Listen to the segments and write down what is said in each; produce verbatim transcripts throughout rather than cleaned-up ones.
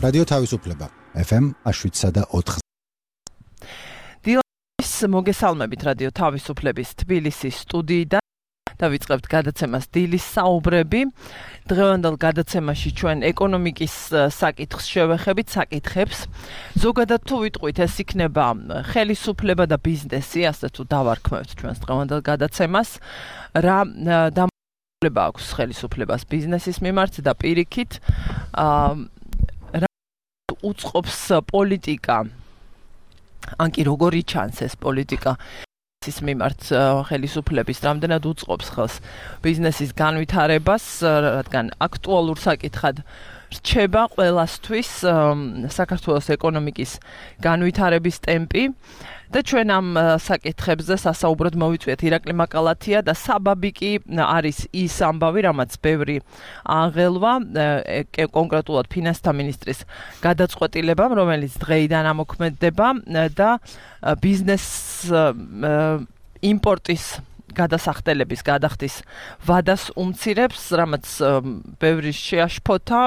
რადიო თავისუფლება ეფ ემ შვიდსა და ოთხ. დილის მოგესალმებით რადიო თავისუფლების თბილისის სტუდიიდან. დავიწყებთ გადაცემას დილის საუბრები. დღევანდელ გადაცემაში ჩვენ ეკონომიკის საკითხს შევეხებით, საკითხებს. ზოგადად თუ ვიტყვით, ეს იქნება ხელისუფლება და ბიზნესი, ასე თუ დავარქმევთ ჩვენს დღევანდელ გადაცემას. რა დამოკიდება აქვს ხელისუფლებას ბიზნესის მიმართ და პირიქით, რა უწყობს პოლიტიკა, ან კი როგორი ჩანს ეს პოლიტიკა ის მიმართ ხელისუფლების რამდენად უწყობს ხელს ბიზნესის განვითარებას, რადგან აქტუალურ საკითხად რჩება ყველასთვის საქართველოს ეკონომიკის განვითარების ტემპი და ჩვენ ამ საკითხებზე სასაუბროდ მოვიწვიეთ ირაკლი მაკალათია და საბაბი კი არის ის ამბავი, რამაც ბევრი აღელვა, კონკრეტულად ფინანსთა მინისტრის გადაწყვეტილებამ, რომელიც დღეიდან ამოქმედდება და ბიზნეს იმპორტის გადასახდელების გადახდის ვადას უმცირებს, რამაც ბევრი შეაშფოთა,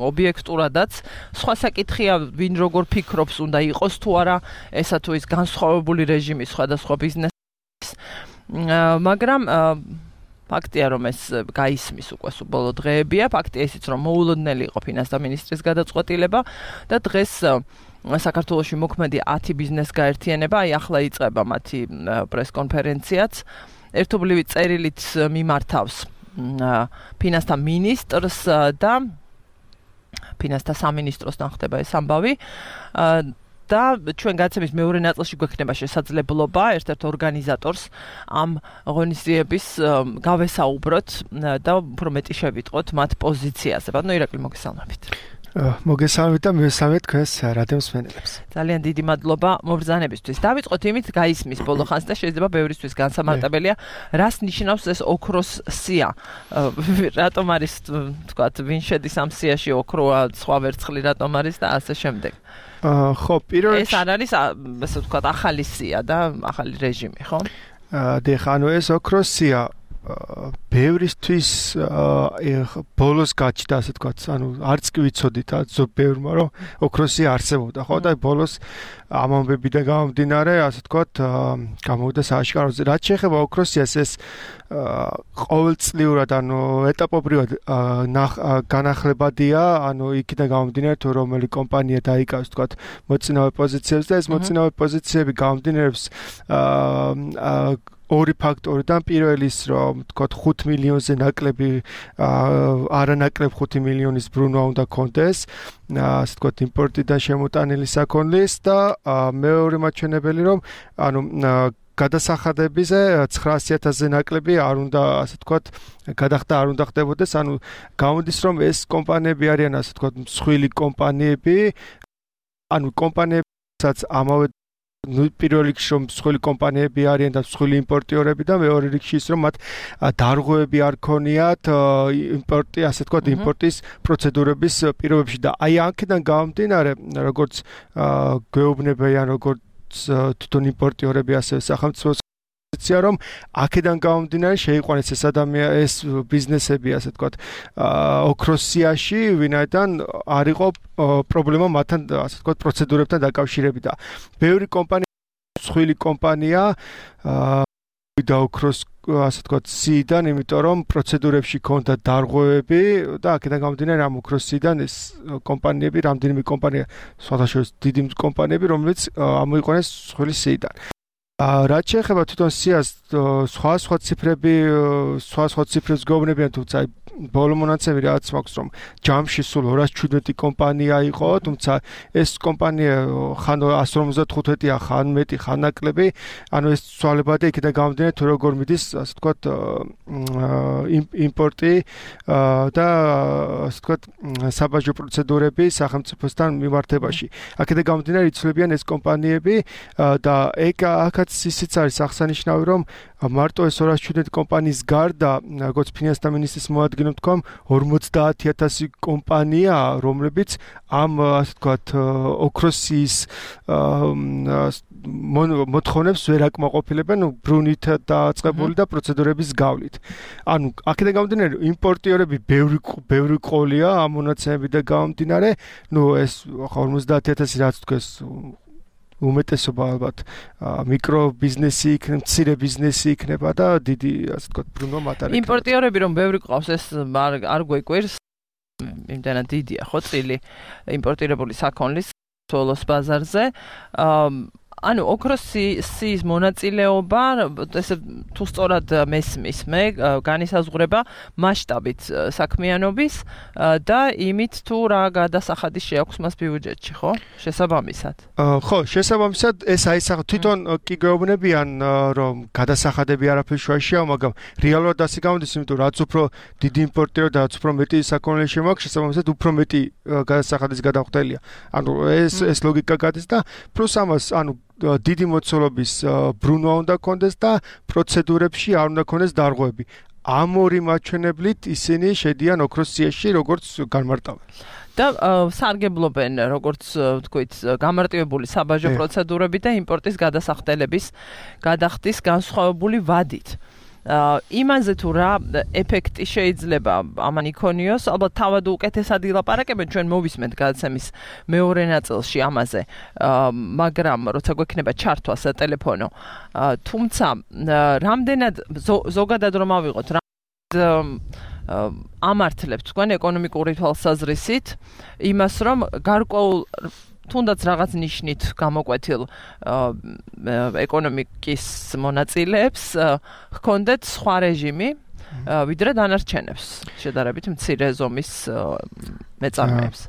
ობიექტურადაც. სხვა საკითხია, ვინ როგორ ფიქრობს, უნდა იყოს თუ არა ესა თუ ის განსხვავებული რეჟიმი სხვადასხვა ბიზნესის, მაგრამ ფაქტია, რომ ეს გაისმის უკვე სულ ბოლო დღეებია, ფაქტია ისიც, რომ მოულოდნელი იყო ფინანსთა მინისტრის გადაწყვეტილება და დღეს საქართველოში მოქმედი ათი ბიზნეს გაერთიანება, აი ახლა იწყება მათი პრესკონფერენციაც, ერთობლივი წერილით მიმართავს ფინანსთა მინისტრს და ფინანსთა სამინისტროს ხდება ეს ამბავი და ჩვენ გადაცემის მეორე ნაწილში გვექნება შესაძლებლობა ერთ-ერთ ორგანიზატორს ამ ღონისძიების გავესაუბროთ და უფრო მეტი შევიტყოთ მათ პოზიციაზე. ბატონო ირაკლი, მოგესალმებით. მოგესალმებით და მივესალმეთ თქვენს რადიო მსმენელებს. ძალიან დიდი მადლობა მობრძანებისთვის. დავიწყოთ იმით, გაისმის ბოლო ხანს და შეიძლება ბევრისთვის განსამარტებელია, რას ნიშნავს ეს ოქროს სია. რატომ არის, თქვათ, ვინ შედის ამ სიაში, ოქროა, სხვა ვერცხლი რატომ არის და ასე შემდეგ. ხო, პირველ ეს არ არის, ასე ვთქვათ, ახალი სია და ახალი რეჟიმი, ხო? დიახ, ანუ ეს ოქროს სია ბევრისთვის ბოლოს გაჩნდა, ასე ვთქვათ, ანუ არც კი ვიცოდით, ბევრმა რომ ოქროსი არსებობდა, ხო? და ბოლოს ამ ამბებიდან გამომდინარე, ასე ვთქვათ, გამოვიდა სააშკაროზე. რაც შეეხება ოქროსიას, ეს ყოველწლიურად, ანუ ეტაპობრივად განახლებადია, ანუ იქიდან გამომდინარე, თუ რომელი კომპანია დაიკავს, ვთქვათ, მოწინავე პოზიციებს და ეს მოწინავე პოზიციები გამომდინარეობს ორი ფაქტორიდან. პირველი ის, რომ ვთქვათ, ხუთ მილიონზე ნაკლები არანაკლებ ხუთი მილიონის ბრუნვა უნდა კონდეს, ასე ვთქვათ, იმპორტიდან შემოტანილი საქონლის და მეორე მაჩვენებელი, რომ ანუ გადასახადებაზე ცხრაასი ათასზე ნაკლები არ უნდა, ასე ვთქვათ, გადახდა არ უნდა ხდებოდეს, ანუ გამოდის, რომ ეს კომპანიები არიან, ასე ვთქვათ, მსხვილი კომპანიები, ანუ კომპანიებსაც ამავე ნუ პირველ რიგში რომ მსხვილი კომპანიები არიან და მსხვილი იმპორტიორები და მეორე რიგში ის რომ მათ დარღვევები არ ქონიათ იმპორტი, ასე ვთქვათ, იმპორტის პროცედურების პირობებში და აი აქედან გამომდინარე, როგორც გვეუბნებიან, როგორც თვითონ იმპორტიორები, ასევე სახელმწიფოს პოზიცია, რომ აქედან გამომდინარე შეიყვანეს ეს ადამიანი, ეს ბიზნესები, ასე ვთქვათ, ოქროს სიაში, ვინაიდან არ იყო პრობლემა მათთან, ასე ვთქვათ, პროცედურებთან დაკავშირებით და ბევრი კომპანია, მსხვილი კომპანია და ოქროს, ასე ვთქვათ, სიიდან, იმიტომ რომ პროცედურებში ქონდა დარღვევები და აქედან გამომდინარე ამ ოქროს სიიდან ეს კომპანიები, რამდენიმე კომპანია, სხვადასხვა დიდი კომპანიები, რომელიც ამოიყვანეს მსხვილი სიიდან. რაც შეეხება თვითონ სიას, სხვა სხვა ციფრები, სხვა სხვა ციფრებს გვეუბნებიან, თუმცა ბოლო მონაცემი რაც მაქვს, რომ ჯამში სულ ორას ჩვიდმეტი კომპანია იყო, თუმცა ეს კომპანია ხან ასი ორმოცდათხუთია, ხან მეტი, ხან ნაკლები, ანუ ეს ცვალებადია იქიდან გამომდინარე, თუ როგორ მიდის, ასე ვთქვათ, იმპორტი და ასე ვთქვათ, საბაჟო პროცედურები სახელმწიფოსთან მიმართებაში. აქედან გამომდინარე იცვლებიან ეს კომპანიები და ეგ აქაც ისიც არის აღსანიშნავი, რომ მარტო ეს ორას შვიდმეტი კომპანიის გარდა, როგორც ფინანსთა მინისტრის მოადგილემ თქვა, ორმოცდაათი ათასი კომპანია, რომლებიც ამ ასე ვთქვათ ოქროსის მოთხოვნებს ვერ აკმაყოფილებენ ბრუნით დაწყებული და პროცედურების გავლით. ანუ აქედან გამომდინარე იმპორტიორები ბევრი ბევრი ყოლია ამ მონაცემებიდან გამომდინარე, ну ეს ორმოცდაათი ათასი რაც თქვეს უმეტესობა ალბათ მიკრო ბიზნესი იქნება, მცირე ბიზნესი იქნება და დიდი ასე ვთქვათ ბრუნვა მატარებელია. იმპორტიორები რომ ბევრი ყავს ეს არ არ გვეკვირს. იმდანაც დიდია ხო წილი იმპორტირებული საქონლის თოლოს ბაზარზე. ანუ ოქროსის მონაწილეობა ესე თუ სწორად მესმის მე განისაზღვრება მასშტაბით საქმიანობის და იმით თუ რა გადასახადი შეაქვს მას ბიუჯეტში, ხო? შესაბამისად. ხო, შესაბამისად ეს აისახა თვითონ კი გვეუბნებიან რომ გადასახადები არაფერ შუაშია, მაგრამ რეალურად ასე გამოდის, იმიტომ რაც უფრო დიდი იმპორტირო და რაც უფრო მეტი საქონელი შემოაქვს, შესაბამისად უფრო მეტი გადასახადის გადამხდელია. ანუ ეს ეს ლოგიკა გადის და პლუს ამას ანუ დიდი მოცულობის ბრუნვა უნდა კონდეს და პროცედურებში არ უნდა კონდეს დარღვევები. ამ ორი მაჩვენებლით ისინი შედიან ოქროს სიაში როგორც განმარტავენ. და სარგებლობენ როგორც ვთქვით გამარტივებული საბაჟო პროცედურები და იმპორტის გადასახდელების გადახდის განსხვავებული ვადით. იმაზე თუ რა ეფექტი შეიძლება ამან იქონიოს, ალბათ თავად უკეთესად ილაპარაკებენ, ჩვენ მოვისმენთ გადაცემის მეორე ნაწილში ამაზე, მაგრამ როცა გვექნება ჩართვა სატელეფონო, თუმცა რამდენად ზოგადად რომ ავიღოთ, ამართლებთ თქვენ ეკონომიკური თვალსაზრისით იმას, რომ გარკვეულ თუნდაც რაღაც ნიშნით გამოკვეთილ ეკონომიკის მონაწილეებს ჰქონდეთ სხვა რეჟიმი, ვიდრე დანარჩენებს, შედარებით მცირე ზომის მეწარმეებს.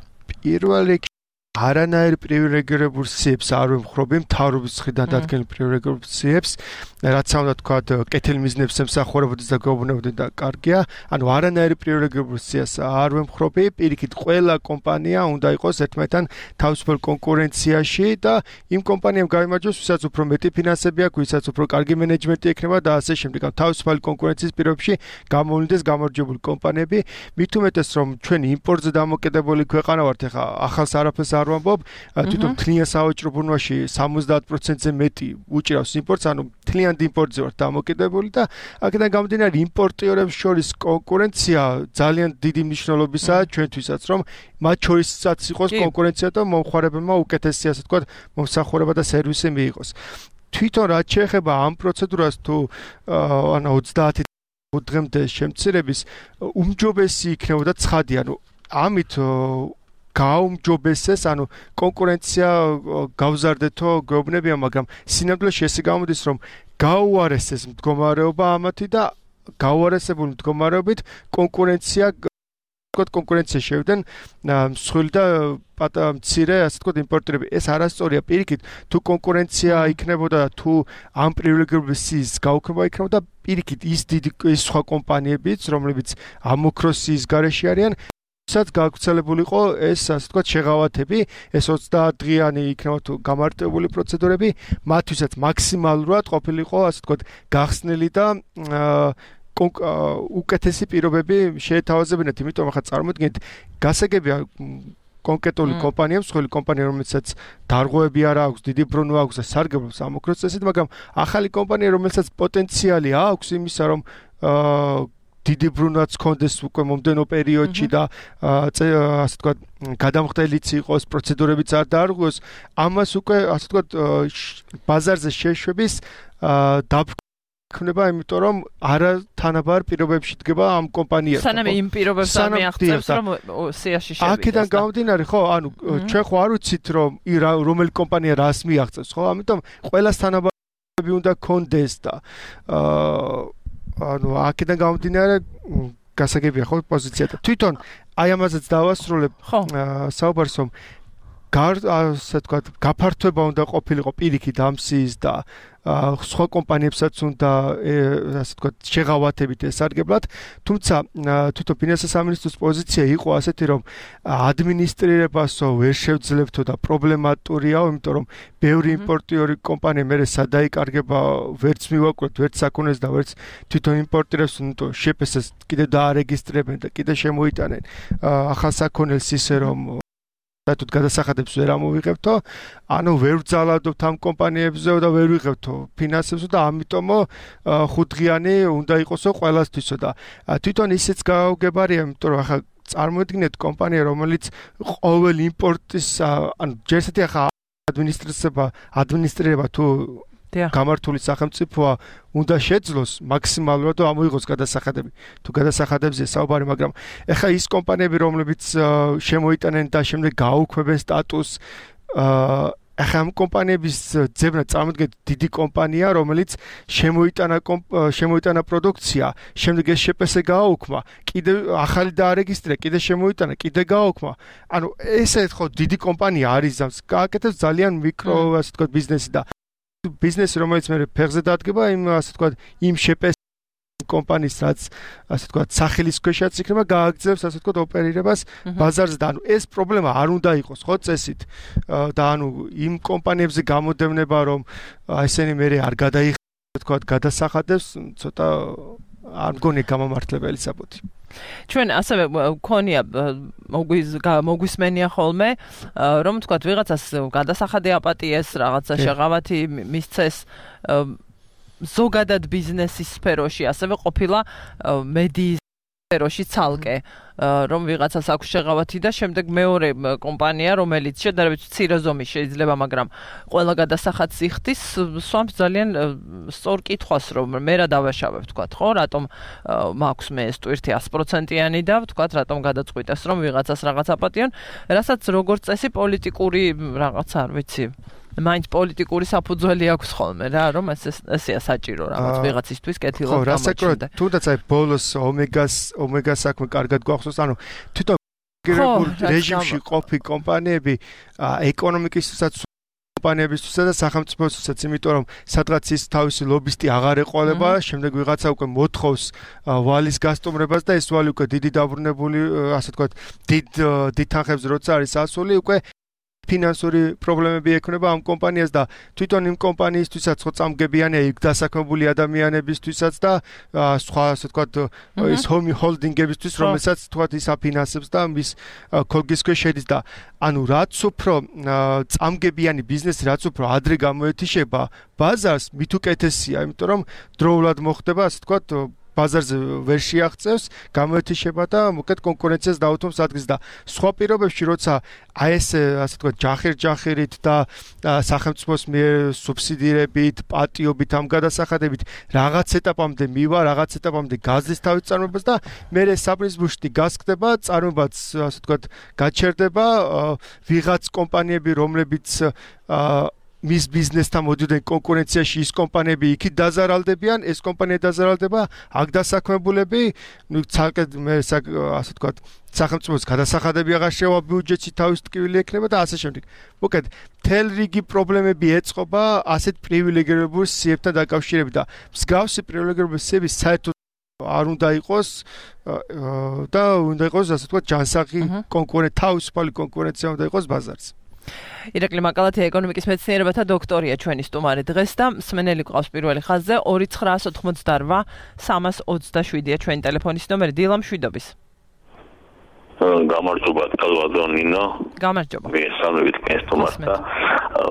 პირველ რიგში არანაირ პრივილეგირებულ სიებს არ ვემხრობი, მთავრობის მხრიდან დადგენილ პრივილეგირებულ სიებს, რაც უნდა თქვა კეთილ მიზნებს ემსახურებოდეს და გვეუბნებოდნენ და კარგია. ანუ არანაირ პრივილეგირებულ სიას არ ვემხრობი, პირიქით ყველა კომპანია უნდა იყოს ერთმანეთთან თავისუფალ კონკურენციაში და იმ კომპანიამ გაიმარჯვოს, ვისაც უფრო მეტი ფინანსები აქვს, ვისაც უფრო კარგი მენეჯმენტი ექნება და ასე შემდეგ. თავისუფალი კონკურენციის პირობებში გამოვლინდეს გამარჯვებული კომპანიები, მით უმეტეს რომ ჩვენი იმპორტზე დამოკიდებული ქვეყანა ვართ, ეხა ახალს არაფერს არ ვამბობ, თვითონ მთლიან სავაჭრო ბრუნვაში სამოცდაათ პროცენტზე მეტი უჭირავს იმპორტს, ანუ მთლიან იმპორტზე ვართ დამოკიდებული და აქედან გამომდინარე იმპორტიორებს შორის კონკურენცია ძალიან დიდი მნიშვნელობისაა ჩვენთვისაც, რომ მათ შორისაც იყოს კონკურენცია და მომხმარებელმა უკეთესი ასე ვთქვათ მომსახურება და სერვისი მიიღოს. თვითონ რაც შეეხება ამ პროცედურას თუ ანუ ოცდაათი დღემდე შემცირების უმჯობესი იქნებოდა ცხადი, ანუ ამით გაუმჯობესეს, ანუ კონკურენცია გავზარდეთო გვეუბნებიან, მაგრამ სინამდვილეში ესე გამოდის, რომ გაუარესეს მდგომარეობა ამათი და გაუარესებული მდგომარეობით კონკურენცია ვთქვათ კონკურენცია შევდნენ მსხვილი და მცირე ასე ვთქვათ იმპორტირები. ეს არასწორია, პირიქით თუ კონკურენცია იქნებოდა და თუ ამ პრივილეგირებული სიის გაუქმება იქნებოდა, პირიქით ის დიდი ის სხვა კომპანიებიც, რომლებიც ამ ოქროსის გარეშე არიან, საც გაგვცელებულიყო ეს ასე ვთქვათ შეღავათები, ეს ოცდაათ დღიანი იქნება თუ გამარტივებული პროცედურები, მათთვისაც მაქსიმალურად ყოფილიყო ასე ვთქვათ გახსნილი და უკეთესი პირობები შეეთავაზებინათ, იმიტომ ახლა წარმოიდგინეთ, გასაგებია კონკრეტული კომპანია, მსხვილი კომპანია, რომელსაც დარღვევები არ აქვს, დიდი ბრუნვა აქვს და სარგებლობს ამ ოქროს წესით, მაგრამ ახალი კომპანია, რომელსაც პოტენციალი აქვს იმისა, რომ დიდი ბრუნვაც ჰქონდეს უკვე მომდენო პერიოდში და ასე ვთქვათ გადამხდელიც იყოს, პროცედურებიც არ დაარღვიოს, ამას უკვე ასე ვთქვათ ბაზარზე შეშვების დაბრკონება, იმიტომ რომ არათანაბარ პირობებში დგება ამ კომპანიას. სანამ იმ პირობებს არ მიაღწევს, რომ სიაში შევიდეს. აქედან გამომდინარე, ხო, ანუ ჩვენ ხო არ ვიცით, რომ რომელი კომპანია რას მიაღწევს, ხო? ამიტომ ყველას თანაბარები უნდა ჰქონდეს და ანუ აქედან გამომდინარე გასაგებია ხო პოზიცია და თვითონ აი ამაზეც დავასრულებ საუბარს, რომ გარ ასე ვთქვათ, გაფართოება უნდა ყოფილიყო პირიქით ამ სიის და სხვა კომპანიებსაც უნდა ასე ვთქვათ, შეღავათებით ესარგებლად, თუმცა თვითონ ფინანსთა სამინისტროს პოზიცია იყო ასეთი, რომ ადმინისტრირებასო ვერ შევძლებთო და პრობლემატურიაო, იმიტომ რომ ბევრი იმპორტიორი კომპანია მერე სადაიკარგება, ვერც მივაკვირთ, ვერც საქონელს და ვერც თვითონ იმპორტირებს, ნუ შეპესეს კიდე დაარეგისტრებენ და კიდე შემოიტანენ ახალ საქონელს ისე რომ და თუ გადასახადებს ვერ ამოვიღებთო, ანუ ვერ ვძალადობთ ამ კომპანიებზე და ვერ ვიღებთო ფინანსებსო და ამიტომო ხუთდღიანი უნდა იყოსო ყველასთვისო და თვითონ ისიც გაუგებარია, იმიტომ რომ ახლა წარმოიდგინეთ კომპანია, რომელიც ყოველ იმპორტის, ანუ ჯერ ესეთი ახლა ადმინისტრირება, ადმინისტრირება თუ გამართული სახელმწიფოა უნდა შეძლოს მაქსიმალურად და ამოიღოს გადასახადები. თუ გადასახადებზეა საუბარი, მაგრამ ეხლა ის კომპანიები, რომლებიც შემოიტანენ და შემდეგ გააუქმებენ სტატუსს, ეხლა ამ კომპანიების ძებნა წარმოიდგინეთ დიდი კომპანია, რომელიც შემოიტანა შემოიტანა პროდუქცია, შემდეგ ეს შეპესე გააუქმა, კიდე ახალი დაარეგისტრირა, კიდე შემოიტანა, კიდე გააუქმა. ანუ ესე ხო დიდი კომპანია არის, გააკეთებს ძალიან მიკრო, ასე ვთქვათ, ბიზნესი და ბიზნესი, რომელიც მე ფეხზე დადგება, იმ ასე ვთქვათ, იმ შეპეს კომპანიის, რაც ასე ვთქვათ, სახელის ქვეშაც იქნება, გააგრძელებს ასე ვთქვათ, ოპერირებას ბაზარზე და ანუ ეს პრობლემა არ უნდა იყოს, ხო, წესით. და ანუ იმ კომპანიებზე გამოდევნება, რომ ესენი მე არ გადაიხადოს, ვთქვათ, გადასახადებს, ცოტა არ მგონია გამომართლებელი საბუთი. ჩვენ ასევე გქონია მოგვისმენია ხოლმე, რომ თქვათ ვიღაცას გადასახადი აპატიეს, რაღაცა შეღავათი მისცეს ზოგადად ბიზნესის სფეროში, ასევე ყოფილა მედიის სფეროში ცალკე, რომ ვიღაცას აქვს შეღავათი და შემდეგ მეორე კომპანია, რომელიც შედარებით მცირე ზომის შეიძლება, მაგრამ ყველა გადასახადს იხდის, swamps ძალიან სწორ კითხვას, რომ მე რა დავაშავებ, თქვათ, ხო, რატომ მაქვს მე ეს ტვირთი ათი პროცენტიანი და თქვათ, რატომ გადაწყვიტეს, რომ ვიღაცას რაღაც აპატიონ, რასაც როგორც წესი პოლიტიკური რაღაც არ ვიცი. მაინც პოლიტიკური საფუძველი აქვს ხოლმე რა, რომ ეს ესეა საჭირო რაღაც ვიღაცისთვის კეთილად გამოჩნდა. თუნდაც აი ბოლოს ომეგას ომეგას საქმე კარგად გვახსოვს, ანუ თვითონ რეჟიმში ყოფი კომპანიები ეკონომიკისთვისაც კომპანიებისთვისაც და სახელმწიფოსთვისაც, იმიტომ რომ სადღაც ის თავისი ლობისტი აღარ ეყოლება, შემდეგ ვიღაცა უკვე მოთხოვს ვალის გასტუმრებას და ეს ვალი უკვე დიდი დაბრუნებული, ასე ვთქვათ, დიდ დიდ თანხებზე როცა არის ასული, უკვე ფინანსური პრობლემები ექნება ამ კომპანიას და თვითონ იმ კომპანიისთვისაც ხო წამგებიანია იქ დასაქმებული ადამიანებისთვისაც და სხვა ასე ვთქვათ ის ჰომი ჰოლდინგებისთვის, რომელსაც თქვათ ის აფინანსებს და მის ქოლგის ქვეშ შედის და ანუ რაც უფრო წამგებიანი ბიზნესი, რაც უფრო ადრე გამოეთიშება ბაზარს, მით უკეთესია, იმიტომ რომ დროულად მოხდება, ასე ვთქვათ, ბაზარზე ვერ შეაღწევს, გამოეთიშება და მოკეთ კონკურენციას დაუთმობს ადგილს და სხვა პირობებში, როცა აი ეს ასე ვთქვათ, ჯახერ-ჯახერით და სახელმწიფოს მიერ სუბსიდირებით, პატიობით, ამ გადასახადებით რაღაც ეტაპამდე მივა, რაღაც ეტაპამდე გაზის თავის წარმოებას და მერე საპრიზბუშტი გასკდება, წარმოებაც ასე ვთქვათ, გაჩერდება, ვიღაც კომპანიები, რომლებიც მის ბიზნესთან მოდიოდნენ კონკურენციაში, ის კომპანიები იქით დაზარალდებიან, ეს კომპანია დაზარალდება, აქ დასაქმებულები, ნუ ცალკე მე ასე ვთქვათ, სახელმწიფოს გადასახადები აღარ შევა ბიუჯეტში თავის ტკივილი ექნება და ასე შემდეგ. მოკეთ, მთელ რიგი პრობლემები ეწყობა ასეთ პრივილეგირებულ სიებთან დაკავშირებით და მსგავსი პრივილეგირებული სიები საერთოდ არ უნდა იყოს და უნდა იყოს ასე ვთქვათ, ჯანსაღი კონკურენცია, თავისუფალი კონკურენცია უნდა იყოს ბაზარზე. ირაკლი მაკალათია ეკონომიკის მეცნიერებათა დოქტორია ჩვენი სტუმარი დღეს და მსმენელი გვყავს პირველი ხაზზე ორი ცხრაას ოთხმოცდარვა სამას ოცდაშვიდია ჩვენი ტელეფონის ნომერი. დილა მშვიდობის. გამარჯობა კალვადო ნინო. გამარჯობა. მე სამებით კესტომას და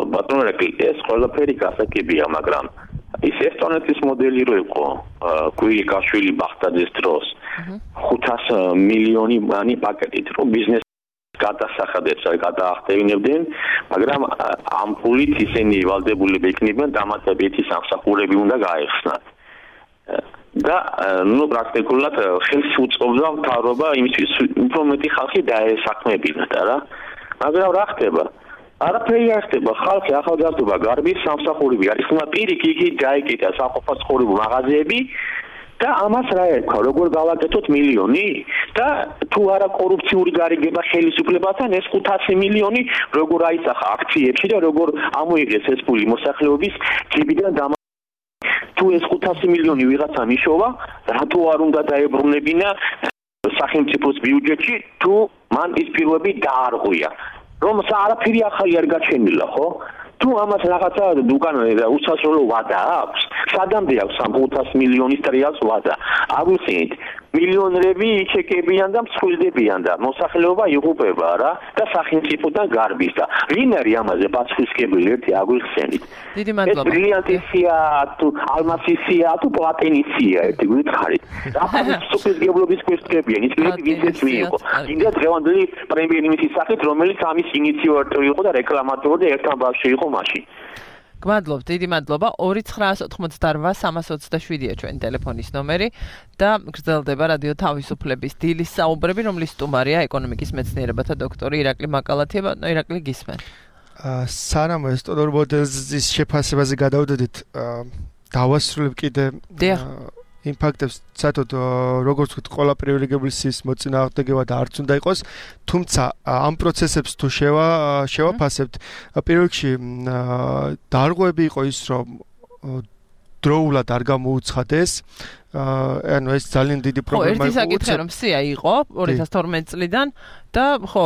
ბატონო ირაკლი, ეს ყველაფერი გასაგებია, მაგრამ ის ესტონეთის მოდელი რო იყო, კუილიკაშვილი ბახტაძის დროს ხუთას მილიონი მანი პაკეტით რო ბიზნეს გადასახადებს გადაახტევინებდნენ, მაგრამ ამ ფულით ისინი ვალდებულები იქნებიან დამატებითი სამსახურები უნდა გაეხსნათ. და ნუ პრაქტიკულად ხელს უწყობდა მთავრობა იმისთვის, უფრო მეტი ხალხი დაესაქმებინათ რა. მაგრამ რა ხდება? არაფერი არ ხდება, ხალხი ახალგაზრდობა გარბის სამსახურები არის, უნდა პირიქით გაიკეთა საყოფაცხოვრებო მაღაზიები და ამას რა ერქვა, როგორ გავაკეთოთ მილიონი? და თუ არა კორუფციული გარიგება ხელისუფლებასთან ეს ხუთასი მილიონი როგორ აისახა აქციებში და როგორ ამოიღეს ეს ფული მოსახლეობის ჯიბიდან და თუ ეს ხუთასი მილიონი ვიღაცა მიშოვა რატო არ უნდა დაებრუნებინა სახელმწიფოს ბიუჯეტში თუ მან ის პირობები დაარღვია რომ არაფერი ახალი არ გაჩენილა ხო თუ ამას რაღაცა უკან უსასრულო ვადა აქვს სადამდე აქვს ამ ხუთასი მილიონის ტრიალს ვადა აგვიხსენით მილიონერები ჩეკებიან და მსხვილდებიან და მოსახლეობა იღუპება რა და სახელმწიფოდან გარბის და ვინ არის ამაზე პასუხისმგებელი ერთი აგვიხსენით დიდი მადლობა ეს ბრილიანტისია თუ ალმასისია თუ პლატინისია ერთი გითხარით რა პასუხისმგებლობის questionებიან ის ვინც მიიღო ინდა დღევანდელი პრემიერ-მინისტრის სახით რომელიც ამის ინიციატორი იყო და რეკლამატორი და ერთთან ბავშვი იყო მაშინ გმადლობთ, დიდი მადლობა. ორი ცხრაასი ოცდაოთხმოცდარბა სამას ოცდაშვიდია ჩვენი ტელეფონის ნომერი და გრძელდება რადიო თავისუფლების დილის საუბრები, რომლის სტუმარია ეკონომიკის მეცნიერებათა დოქტორი ირაკლი მაკალათია. ბატონო ირაკლი გისმენ. აა სანამ ეს ტოდორ მოდელის შეფასებაზე გადავდოდით, დავასრულებ კიდე იმ ფაქტებს, საერთოდ როგორც ვთქვით, ყველა პრივილეგირების მოწინააღმდეგეა და არც უნდა იყოს, თუმცა ამ პროცესებს თუ შევა შევაფასებთ, პირველ რიგში დარღვევები იყო ის, რომ დროულად არ გამოუცხადეს ანუ ეს ძალიან დიდი პრობლემა იყო. ერთი საკითხი რომ სია იყო ორი ათას თორმეტი წლიდან და ხო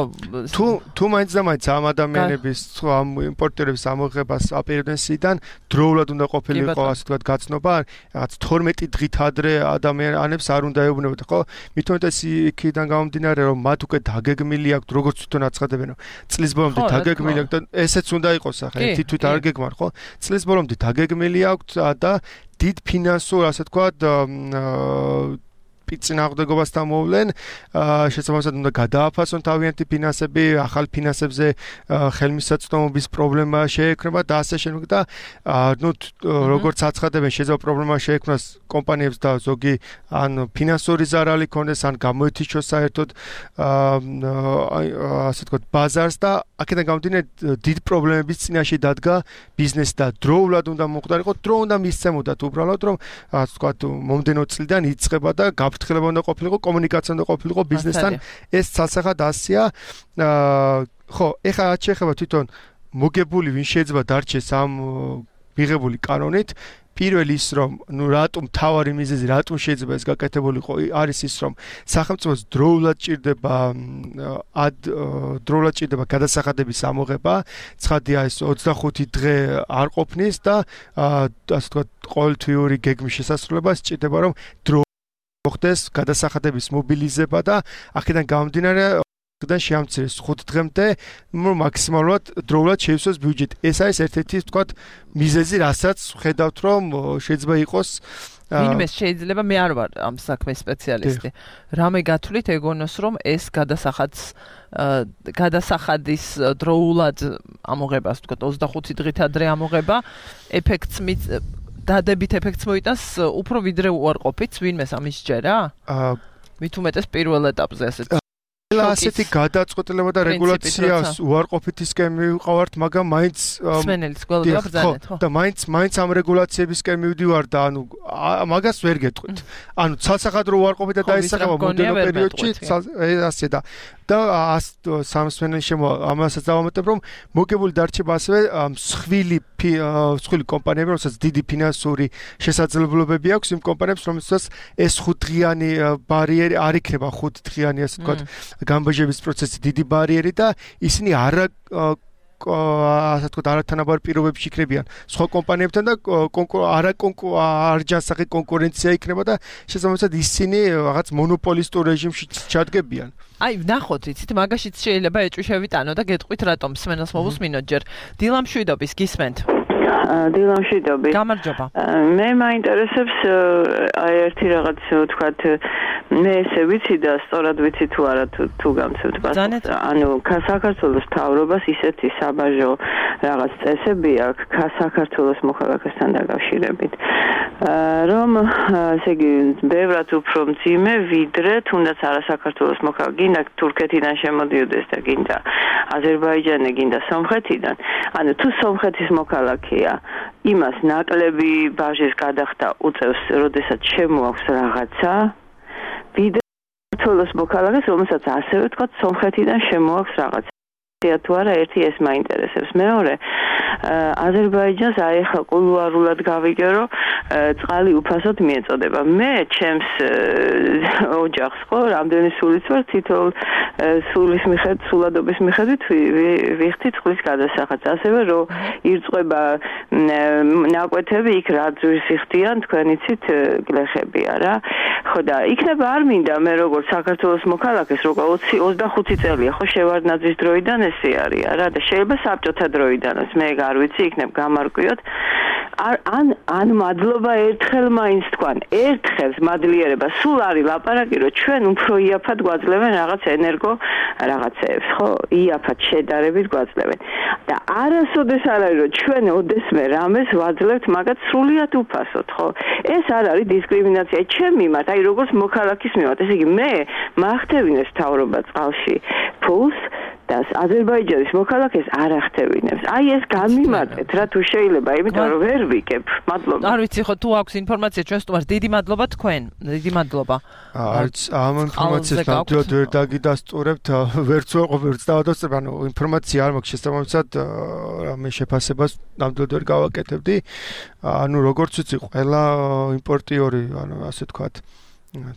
თუ თუ მაინც და მაინც ამ ადამიანების ამ იმპორტერების ამოღებას აპირებდნენ სიდან დროულად უნდა ყოფილიყო ასე ვთქვათ გაცნობა რაღაც თორმეტი დღით ადრე ადამიანებს არ უნდა ეუბნებოდა ხო მithumetes იქიდან გამომდინარე რომ მათ უკვე დაგეგმილი აქვთ როგორც თვითონ აცხადებენ რომ წლის ბოლომდე დაგეგმილი აქვთ და ესეც უნდა იყოს ახლა ერთი თვით არ გეგმარ ხო წლის ბოლომდე დაგეგმილი აქვთ და დიდ ფინანსურ ასე ვთქვათ წინააღმდეგობასთან მოვლენ შესაბამისად უნდა გადააფასონ თავიანთი ფინანსები ახალ ფინანსებზე ხელმისაწვდომობის პრობლემა შეექმნება და ასე შემდეგ და ნუ როგორც აცხადებენ შეიძლება პრობლემა შეექმნას კომპანიებს და ზოგი ან ფინანსური ზარალი ქონდეს ან გამოეთიშოს საერთოდ ასე ვთქვათ ბაზარს და აქედან გამომდინარე დიდ პრობლემების წინაშე დადგა ბიზნესი და დროულად უნდა მოხდარიყო დრო უნდა მისცემოდათ უბრალოდ რომ ასე ვთქვათ მომდენო წლიდან იწყება და გაფრთხილება უნდა ყოფილიყო კომუნიკაცია უნდა ყოფილიყო ბიზნესთან ეს ცალსახად ასია ხო ეხლა რაც შეეხება თვითონ მოგებული ვინ შეიძლება დარჩეს ამ მიღებული კანონით პირველი ის რომ ნუ რატომ თავარი მიზეზი რატომ შეიძლება ეს გაკეთებულიყო არის ის რომ სახელმწიფოს დროულად ჭირდება ad დროულად ჭირდება გადასახადების ამოღება ცხადია ეს ოცდახუთი დღე არ ყოფნის და ასე ვთქვათ ყოველთვიური გეგმის შესასრულებას ჭირდება რომ დრო მოხდეს გადასახადების მობილიზება და აქედან გამომდინარე და შეამცირეს ხუთ დღემდე მაქსიმალურად დროულად შეივსოს ბიუჯეტი. ეს არის ერთ-ერთი ვთქვათ მიზეზი, რასაც ხედავთ რომ შეიძლება იყოს ვინმე შეიძლება მე არ ვარ ამ საქმის სპეციალისტი. რამე გათვლით ეგონოს რომ ეს გადასახადს გადასახადის დროულად ამოღებას ვთქვათ ოცდახუთი დღით ადრე ამოღება ეფექტს დადებით ეფექტს მოიტანს უფრო ვიდრე უარყოფით ვინმეს ამის ჯერა? მithumetes პირველ ეტაპზე ასეთ ასეთი გადაწყვეტილება და რეგულაციას უარყოფითისკენ მივყავართ, მაგრამ მაინც სმენელიც გველოდება ბრძანეთ, ხო? და მაინც მაინც ამ რეგულაციებისკენ მივდივარ და ანუ მაგას ვერ გეტყვით. ანუ ცალსახადრო უარყოფით და დაისახება მომდენო პერიოდში, ასე და და სამსმენელი შემო ამასაც დავამატებ რომ მოგებული დარჩება ასევე მსხვილი მსხვილი კომპანიები, რომელსაც დიდი ფინანსური შესაძლებლობები აქვს იმ კომპანიებს, რომელსაც ეს ხუთდღიანი ბარიერი არ იქნება ხუთდღიანი ასე ვთქვათ გამბაჟების პროცესი დიდი ბარიერი და ისინი არა ასე ვთქვათ არათანაბარ პირობებში იქნებიან სხვა კომპანიებთან და არა არჯანსაღი კონკურენცია იქნება და შესაბამისად ისინი რაღაც მონოპოლისტურ რეჟიმში ჩადგებიან. აი ნახოთ იცით მაგაშიც შეიძლება ეჭვშევიტანო და გეტყვით რატომ სმენელს მოვუსმინოთ ჯერ დილამშვიდობის გისმენთ დილამშვიდობის გამარჯობა მე მაინტერესებს აი ერთი რაღაც ვთქვათ მე ესე ვიცი და სწორად ვიცი თუ არა თუ გამცემთ პასუხს ანუ საქართველოს მთავრობას ისეთი საბაჟო რაღაც წესები აქვს საქართველოს მოქალაქესთან დაკავშირებით რომ ესე იგი ბევრად უფრო მძიმე ვიდრე თუნდაც არა საქართველოს მოქალაქე გინდა თურქეთიდან შემოდიოდეს და გინდა აზერბაიჯანი გინდა სომხეთიდან ანუ თუ სომხეთის მოქალაქეა იმას ნაკლები ბაჟის გადახდა უწევს როდესაც შემოაქვს რაღაცა ვიდრე საქართველოს მოქალაქეს, რომელსაც ასევე თქვა სომხეთიდან შემოაქვს რაღაც. თუ არა ერთი ეს მაინტერესებს. მეორე აზერბაიჯანს აი ხა კულუარულად გავიგე რომ წყალი უფასოდ მიეწოდება. მე ჩემს ოჯახს ხო რამდენი სულიც ვარ თითოეულ სულის მიხედვით სულადობის მიხედვით ვიხდი წყლის გადასახადს. ასევე რომ ირწყვება ნაკვეთები იქ რა ძვირს იხდიან თქვენ იცით გლეხებია რა. ხო და იქნება არ მინდა მე როგორც საქართველოს მოქალაქეს როგორ ოცდახუთი წელია ხო შევარდნაძის დროიდან ესე არის რა და შეიძლება საბჭოთა დროიდანაც მე არ ვიცი იქნებ გამარკვიოთ ან ან მადლობა ერთხელ მაინც თქვან ერთხელ მადლიერება სულ არის ლაპარაკი რომ ჩვენ უფრო იაფად გვაძლევენ რაღაც ენერგო რაღაცეებს ხო იაფად შედარებით გვაძლევენ და არასოდეს არ არის რომ ჩვენ ოდესმე რამეს ვაძლევთ მაგათ სრულიად უფასოდ ხო ეს არ არის დისკრიმინაცია ჩემ მიმართ აი როგორც მოქალაქის მიმართ ესე იგი მე მახტევინებს თავრობა წყალში ფულს და აზერბაიჯანის მოქალაქეს არ ახტევინებს. აი ეს გამიმარტეთ რა თუ შეიძლება, იმიტომ რომ ვერ ვიკებ. მადლობა. არ ვიცი ხო თუ აქვს ინფორმაცია ჩვენ სტუმარს. დიდი მადლობა თქვენ. დიდი მადლობა. არც ამ ინფორმაციას ნამდვილად ვერ დაგიდასტურებთ, ვერც ვეყო ვერც დავადასტურებ, ანუ ინფორმაცია არ მაქვს შესაბამისად მე შეფასებას ნამდვილად ვერ გავაკეთებდი. ანუ როგორც ვიცი, ყველა იმპორტიორი, ანუ ასე თქვათ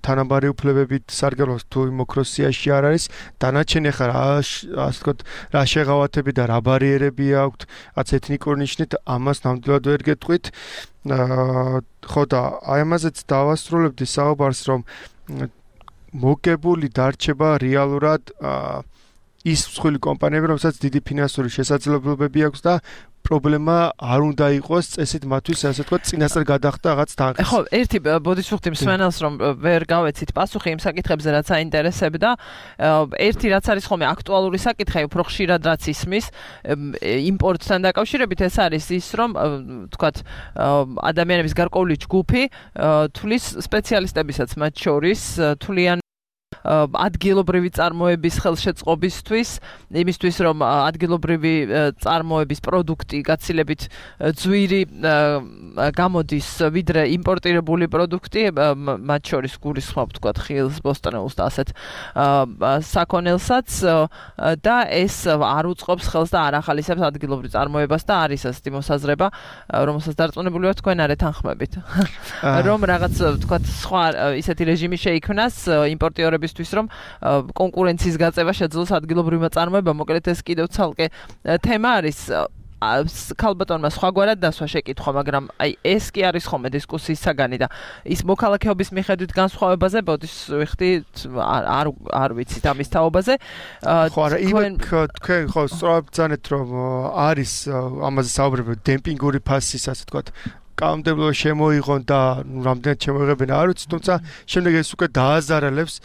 თანაბარი უფლებებით სარგებლობს თუ იმოქროსიაში არ არის დანარჩენი ხარ ასე ვთქვათ რა შეღავათები და რა ბარიერები აქვთ რაც ეთნიკური ნიშნით ამას ნამდვილად ვერ გეტყვით ხო და აი ამაზეც დავასრულებდი საუბარს რომ მოგებული დარჩება რეალურად ის მსხვილი კომპანიები რომელსაც დიდი ფინანსური შესაძლებლობები აქვს და პრობლემა არ უნდა იყოს წესით მათთვის ასე ვთქვათ წინასწარ გადახდა რაღაც თანხის. ხო, ერთი ბოდიშუხტი მსმენელს რომ ვერ გავეცით პასუხი იმ საკითხებზე რაც აინტერესებდა. ერთი რაც არის ხოლმე აქტუალური საკითხი, უფრო ხშირად რაც ისმის იმპორტთან დაკავშირებით ეს არის ის რომ ვთქვათ ადამიანების გარკვეული ჯგუფი თulis სპეციალისტებისაც მათ შორის თვლიან ადგილობრივი წარმოების ხელშეწყობისთვის, იმისთვის რომ ადგილობრივი წარმოების პროდუქტი გაცილებით ძვირი გამოდის ვიდრე იმპორტირებული პროდუქტი, მათ შორის გულისხმობ თქვათ ხილს, ბოსტნეულს და ასეთ საქონელსაც და ეს არ უწყობს ხელს და არ ახალისებს ადგილობრივ წარმოებას და არის ასეთი მოსაზრება, რომელსაც დარწმუნებული ვარ თქვენ არ ეთანხმებით. რომ რაღაც თქვათ სხვა ისეთი რეჟიმი შეიქმნას იმპორტიორების თვის რომ კონკურენციის გაწევა შეძლოს ადგილობრივმა წარმოებამ მოკლედ ეს კიდევ ცალკე თემა არის ქალბატონმა სხვაგვარად დასვა შეკითხვა მაგრამ აი ეს კი არის ხოლმე დისკუსიის საგანი და ის მოქალაქეობის მიხედვით განსხვავებაზე ბოდიშ ვიხდი არ არ ვიცით ამის თაობაზე ხო არა იმენ თქვენ ხო სწორად ბრძანეთ რომ არის ამაზე საუბრები დემპინგური ფასის ასე ვთქვათ კანონმდებლობა შემოიღონ და რამდენად შემოიღებენ არ ვიცი თუმცა შემდეგ ეს უკვე დააზარალებს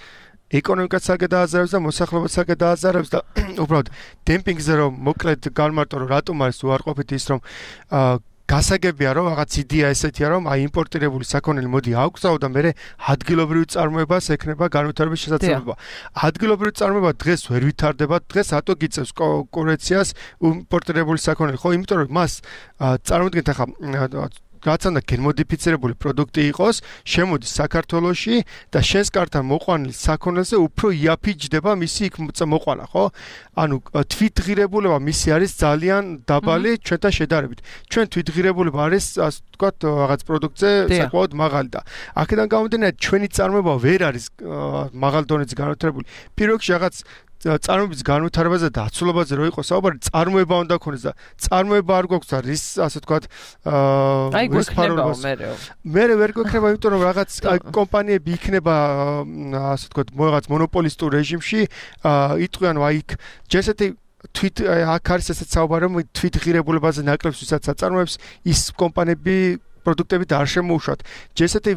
ეკონომიკას აგედააზარებს და მოსახლეობას აგედააზარებს და უბრალოდ დემპინგზე რომ მოკლედ განმარტო რომ რატომ არის უარყოფით ის რომ გასაგებია რომ რაღაც იდეა ესეთია რომ აი იმპორტირებული საქონელი მოდი აგვსაო და მე ადგილობრივი წარმოებას ექნება განვითარების შესაძლებლობა. ადგილობრივი წარმოება დღეს ვერ ვითარდება, დღეს რატო გიწევს კონკურენციას იმპორტირებული საქონელი? ხო, იმიტომ რომ მას წარმოიდგინეთ ახლა რაც უნდა გენმოდიფიცირებული პროდუქტი იყოს, შემოდის საქართველოში და შენს კართან მოყვანილ საქონელზე უფრო იაფიჯდება მისი იქ მოყვანა, ხო? ანუ თვითღირებულება მისი არის ძალიან დაბალი ჩვენთან შედარებით. ჩვენ თვითღირებულება არის, ასე ვთქვათ, რაღაც პროდუქტზე საკმაოდ მაღალი და აქედან გამომდინარე ჩვენი წარმოება ვერ არის მაღალ დონეზე განვითარებული. პირველ რიგში რაღაც წარმოების განვითარებაზე და აცულობაზე რო იყოს საუბარი, წარმოება უნდა ქონდეს და წარმოება არ გვაქვს და რის ასე ვთქვათ აი გვექნება მერე. მერე ვერ გვექნება, იმიტომ რომ რაღაც კომპანიები იქნება ასე ვთქვათ რაღაც მონოპოლისტურ რეჟიმში, იტყვიან აი იქ ჯესეთი თვით აქ არის ესეც საუბარი რომ თვითღირებულებაზე ნაკლებს ვისაც აწარმოებს ის კომპანიები პროდუქტებით არ შემოუშვათ. ჯესეთი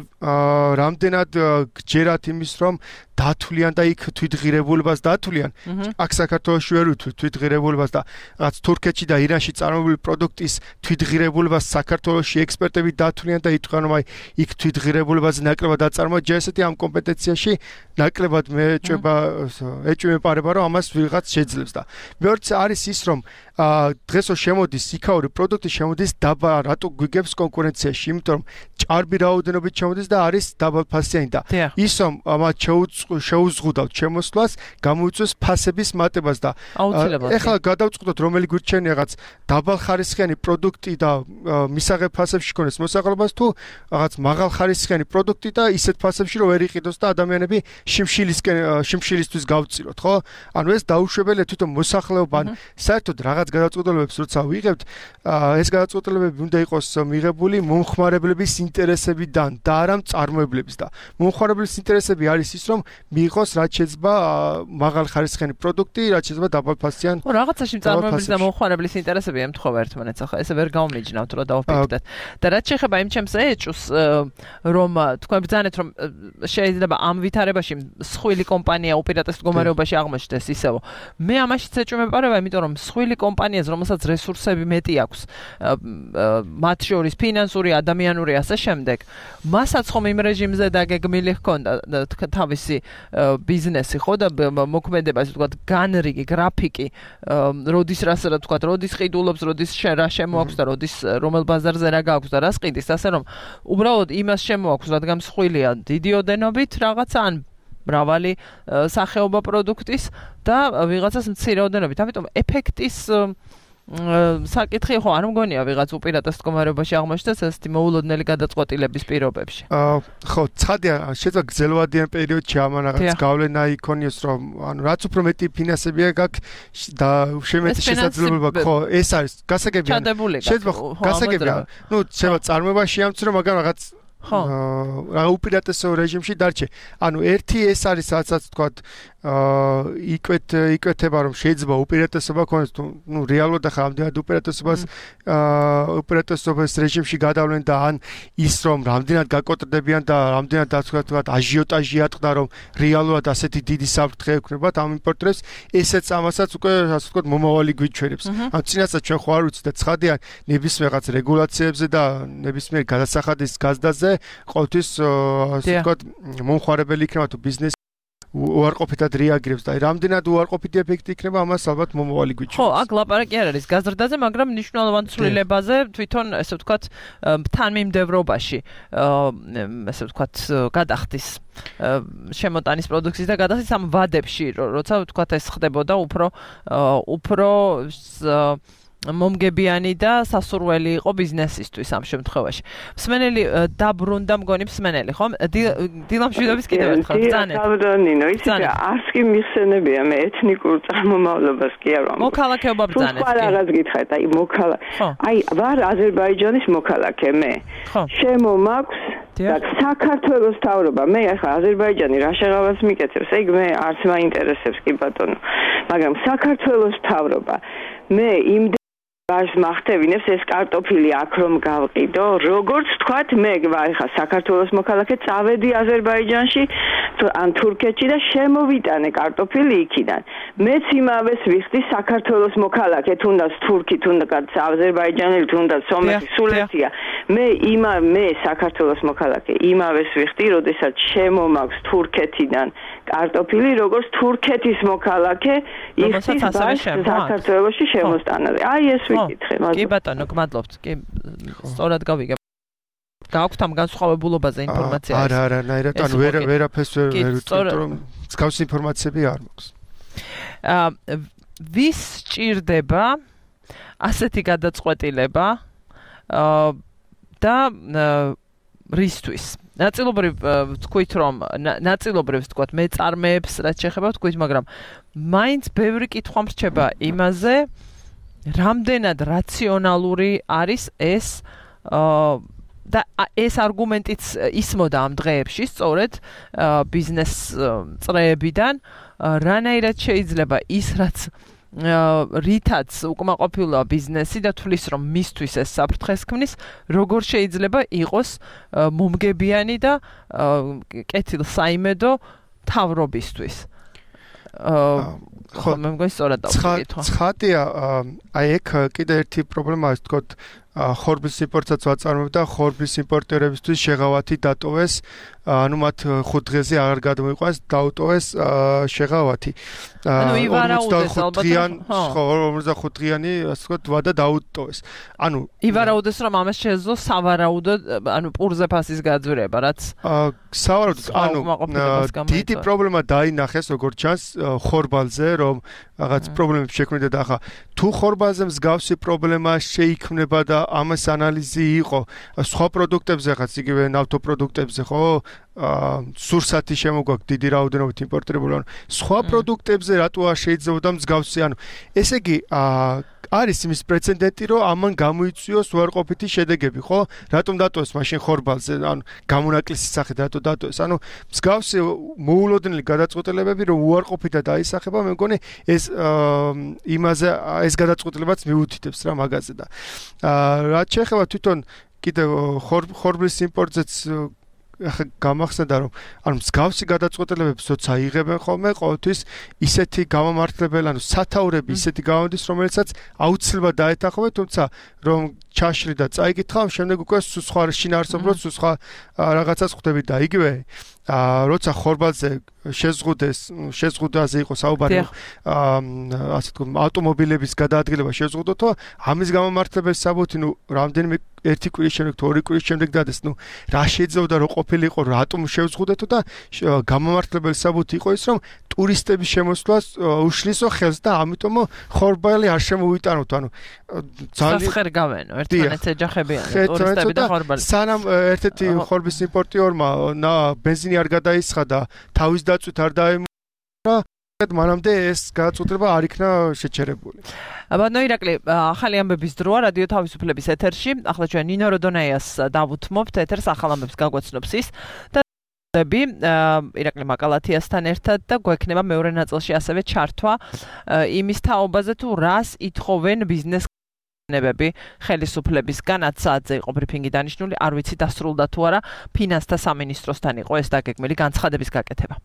რამდენად გჯერათ იმის რომ დათვლიან და იქ თვითღირებულებას დათვლიან. აქ საქართველოში ვერ ვთვლით თვითღირებულებას და რაც თურქეთში და ირანში წარმოებული პროდუქტის თვითღირებულებას საქართველოში ექსპერტები დათვლიან და იტყვიან რომ აი იქ თვითღირებულებაზე ნაკლებად აწარმოა. ჯესეთი ამ კომპეტენციაში ნაკლებად მეჭება ეჭვმეპარება რომ ამას ვიღაც შეძლებს და მეორე არის ის რომ დღესო შემოდის იქაური პროდუქტი შემოდის დაბა რატო გვიგებს კონკურენციაში იმიტომ რომ ჭარბი რაოდენობით შემოდის და არის დაბალფასიანი და ის რომ ამათ შეუზღუდავთ შემოსვლას გამოიწვევს ფასების მატებას და ეხლა გადავწყვიტოთ რომელი გვირჩენია რაღაც დაბალხარისხიანი პროდუქტი და მისაღებ ფასებში ქონდეს მოსაყრობას თუ რაღაც მაღალხარისხიანი პროდუქტი და ისეთ ფასებში რომ ვერ იყიდოს და ადამიანები შიმშილისკენ შიმშილისთვის გავწიროთ ხო ანუ ეს დაუშვებელია თვითონ მოსახლეობა ან საერთოდ რაღაც გადაწყვეტილებებს როცა ვიღებთ ეს გადაწყვეტილებები უნდა იყოს მიღებული მომხმარებლების ინტერესებიდან და არა მწარმოებლების და მომხმარებლების ინტერესები არის ის რომ მიიღოს რაც შეიძლება მაღალხარისხიანი პროდუქტი რაც შეიძლება დაბალფასიანი ხო რაღაცაში მწარმოებლის და მომხმარებლის ინტერესები ემთხოვა ერთმანეთს ახლა ესე ვერ გავმიჯნავთ რომ დავფიქრდეთ და რაც შეეხება იმ ჩემს ეჭვს რომ თქვენ ბრძანეთ რომ შეიძლება ამ ვითარებაში მსხვილი კომპანია უპირატეს მდგომარეობაში აღმოჩნდეს ისევ მე ამაშიც ეჭვმეპარება იმიტომ რომ მსხვილი კომპანიას რომელსაც რესურსები მეტი აქვს მათ შორის ფინანსური ადამიანური ასე შემდეგ მასაც ხომ იმ რეჟიმზე დაგეგმილი ჰქონდა თავისი ბიზნესი ხო და მოქმედება ასე ვთქვათ განრიგი გრაფიკი როდის რას რა ვთქვათ როდის ყიდულობს როდის რა შემოაქვს და როდის რომელ ბაზარზე რა გააქვს და რას ყიდის ასე რომ უბრალოდ იმას შემოაქვს რადგან მსხვილია დიდი ოდენობით რაღაცა ან მრავალი სახეობა პროდუქტის და ვიღაცას მცირე ოდენობით ამიტომ ეფექტის საკითხი ხო არ მგონია ვიღაც უპირატეს მდგომარეობაში აღმოჩნდეს ესეთი მოულოდნელი გადაწყვეტილების პირობებში. ხო, ცხადია, შეიძლება გრძელვადიან პერიოდში ამან რაღაც გავლენა იქონიოს, რომ ანუ რაც უფრო მეტი ფინანსებია გაქვს და შემეტი შესაძლებლობა, ხო, ეს არის გასაგებია. შეიძლება გასაგებია. ნუ შეიძლება წარმოებაში ამცრო, მაგრამ რაღაც ხო, რა უპირატესო რეჟიმში დარჩე. ანუ ერთი ეს არის რასაც თქვა აა იკვეთ იკვეთება რომ შეიძლება უპირატესობა ქონდეს ნუ რეალურად ახლა ამდენად უპირატესობას აა უპირატესობის რეჟიმში გადავლენ და ან ის რომ რამდენად გაკოტრდებიან და რამდენად ასე თქვა აჟიოტაჟი ატყდა რომ რეალურად ასეთი დიდი საფრთხე ექნებათ ამ იმპორტერებს ესეც ამასაც უკვე ასე თქვა მომავალი გვიჩვენებს ან წინასაც ჩვენ ხო არ ვიცით და ცხადია ნებისმიერ რაღაც რეგულაციებზე და ნებისმიერ გადასახადის გაზდაზე ყოველთვის ასე თქვა მომხმარებელი იქნება თუ ბიზნესი უარყოფითად რეაგირებს და რამდენად უარყოფითი ეფექტი იქნება ამას ალბათ მომავალი გვიჩვენებს. ხო, აქ ლაპარაკი არ არის გაზრდაზე, მაგრამ მნიშვნელოვან ცვლილებაზე თვითონ ესე ვთქვათ თანმიმდევრობაში ესე ვთქვათ გადახდის შემოტანის პროდუქციის და გადახდის ამ ვადებში, როცა ვთქვათ ეს ხდებოდა უფრო უფრო მომგებიანი და სასურველი იყო ბიზნესისთვის ამ შემთხვევაში. მსმენელი დაბრუნდა მგონი მსმენელი, ხო? დილამშვიდობის კიდევ ერთხელ ბრძანეთ. დაბრუნდინო, იცი რა, არც კი მიხსენებია მე ეთნიკურ წარმომავლობას კი არ ვამბობ. მოქალაქეობა ბრძანეთ. ხო, რაღაც გითხარით, აი მოქალა. აი, ვარ აზერბაიჯანის მოქალაქე მე. შემომაქვს და საქართველოს თავრობა, მე ახლა აზერბაიჯანი რა შეღავას მიკეთებს, ეგ მე არც მაინტერესებს კი ბატონო. მაგრამ საქართველოს თავრობა მე იმ ბაშ მახტევინებს ეს კარტოფილი აქ რომ გავყიდო, როგორც თქვათ, მე ვარ ხა საქართველოს მოქალაქე, წავედი აზერბაიჯანში ან თურქეთში და შემოვიტანე კარტოფილი იქიდან. მეც იმავეს ვიხდი საქართველოს მოქალაქე, თუნდაც თურქი, თუნდაც აზერბაიჯანელი, თუნდაც სომეხი, სულეთია. მე იმა მე საქართველოს მოქალაქე, იმავეს ვიხდი, როდესაც შემომაქვს თურქეთიდან კარტოფილი, როგორც თურქეთის მოქალაქე, იხდის ბაშ საქართველოში შემოსტანაზე. აი ეს კი ბატონო, გმადლობთ. კი, სწორად გავიგებ. გააქვთ ამ განსხვავებულობაზე ინფორმაცია? არა, არა, ნაირად, ანუ ვერ ვერაფერს ვერ ვიტყვით, რომ მსგავსი ინფორმაციები არ მაქვს. აა ვის სჭირდება ასეთი გადაწყვეტილება აა და რისთვის? ნაწილობრივ ვთქვით, რომ ნაწილობრივ ვთქვათ, მეწარმეებს რაც შეეხება ვთქვით, მაგრამ მაინც ბევრი კითხვა მრჩება იმაზე, რამდენად რაციონალური არის ეს და ეს არგუმენტიც ისმოდა ამ დღეებში სწორედ ბიზნეს წრეებიდან რანაირად შეიძლება ის რაც რითაც უკმაყოფილოა ბიზნესი და თulis რომ მისთვის ეს საფრთხეს ქმნის როგორ შეიძლება იყოს მომგებიანი და კეთილსაიმედო თავრობისთვის ხო მე მგონი სწორად დავკითხო. ცხადია, აი ეგ კიდე ერთი პრობლემაა, თქოთ, ხორბლის იმპორტსაც ვაწარმოებ და ხორბლის იმპორტერებისთვის შეღავათი დატოვეს, ანუ მათ ხუთ დღეზე აღარ გადმოიყვანს, დაუტოვეს შეღავათი. ანუ ივარაუდეს ალბათ ორმოცდახუთ დღიანი, ასე ვთქვათ, ვადა დაუტოვეს. ანუ ივარაუდეს რომ ამას შეეძლო სავარაუდოდ, ანუ პურზე ფასის გაძვირება, რაც სავარაუდოდ, ანუ დიდი პრობლემა დაინახეს, როგორც ჩანს, ხორბალზე, რომ რაღაც პრობლემები შექმნიდა და ახლა თუ ხორბალზე მსგავსი პრობლემა შეიქმნება და ამას ანალიზი იყო სხვა პროდუქტებზე, ხაც იგივე ნავთობპროდუქტებზე, ხო? სურსათი შემოგვაქვს დიდი რაოდენობით იმპორტირებული, ანუ სხვა პროდუქტებზე რატო არ შეიძლება მსგავსი, ანუ ესე იგი არის იმის პრეცედენტი, რომ ამან გამოიწვიოს უარყოფითი შედეგები, ხო? რატომ დატოვეს მაშინ ხორბალზე, ანუ გამონაკლისის სახით რატო დატოვეს? ანუ მსგავსი მოულოდნელი გადაწყვეტილებები, რომ უარყოფითად აისახება, მე მგონი ეს იმაზე ეს გადაწყვეტილებაც მიუთითებს რა მაგაზე და რაც შეეხება თვითონ კიდევ ხორბლის იმპორტზეც ახლა გამახსენდა რომ ანუ მსგავსი გადაწყვეტილებები როცა იღებენ ხოლმე ყოველთვის ისეთი გამომართლებელი ანუ სათაურები ისეთი გამოდის რომელიცაც აუცილებლად დაეთანხმება თუმცა რომ ჩაშრი და წაიკითხავ შემდეგ უკვე სხვა შინაარსობრივად სხვა რაღაცას ხვდები და იგივე როცა ხორბალზე შეზღუდეს შეზღუდაზე იყო საუბარი ასე თქო ავტომობილების გადაადგილება შეზღუდოთო ამის გამომართლებელი საბუთი ნუ რამდენიმე ერთი კვირის შემდეგ თუ ორი კვირის შემდეგ დადეს ნუ რა შეიძლება რომ ყოფილიყო რატომ შევზღუდეთო და გამომართლებელი საბუთი იყო ის რომ ტურისტების შემოსვლას უშლისო ხელს და ამიტომ ხორბალი არ შემოვიტანოთ ანუ ძალიან სასხერ გავენო ერთმანეთს ეჯახებიან ტურისტები და ხორბალი სანამ ერთ-ერთი ხორბლის იმპორტიორმა ბენზინი არ გადაისხა და თავის დაწვით არ დაემარა მანამდე ეს გადაწყვეტილება არ იქნა შეჩერებული. ბატონო ირაკლი, ახალი ამბების დროა რადიო თავისუფლების ეთერში. ახლა ჩვენ ნინო როდონაიას დავუთმობთ ეთერს ახალ ამბებს გაგვეცნობს ის და ირაკლი მაკალათიასთან ერთად და გვექნება მეორე ნაწილში ასევე ჩართვა იმის თაობაზე თუ რას ითხოვენ ბიზნეს ნებები ხელისუფლებისგან ათ საათზე იყო ბრიფინგი დანიშნული, არ ვიცი დასრულდა თუ არა, ფინანსთა სამინისტროსთან იყო ეს დაგეგმილი განცხადების გაკეთება.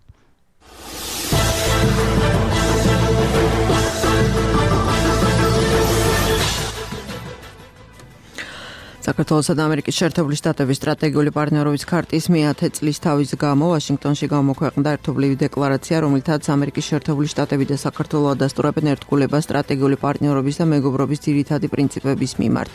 საქართველოსა და ამერიკის შეერთებული შტატების სტრატეგიული პარტნიორობის ქარტის მეათე წლის თავის გამო ვაშინგტონში გამოქვეყნდა ერთობლივი декларация, რომლითაც ამერიკის შეერთებული შტატები და საქართველო ადასტურებენ ერთგულებას სტრატეგიული პარტნიორობის და მეგობრობის ძირითადი პრინციპების მიმართ.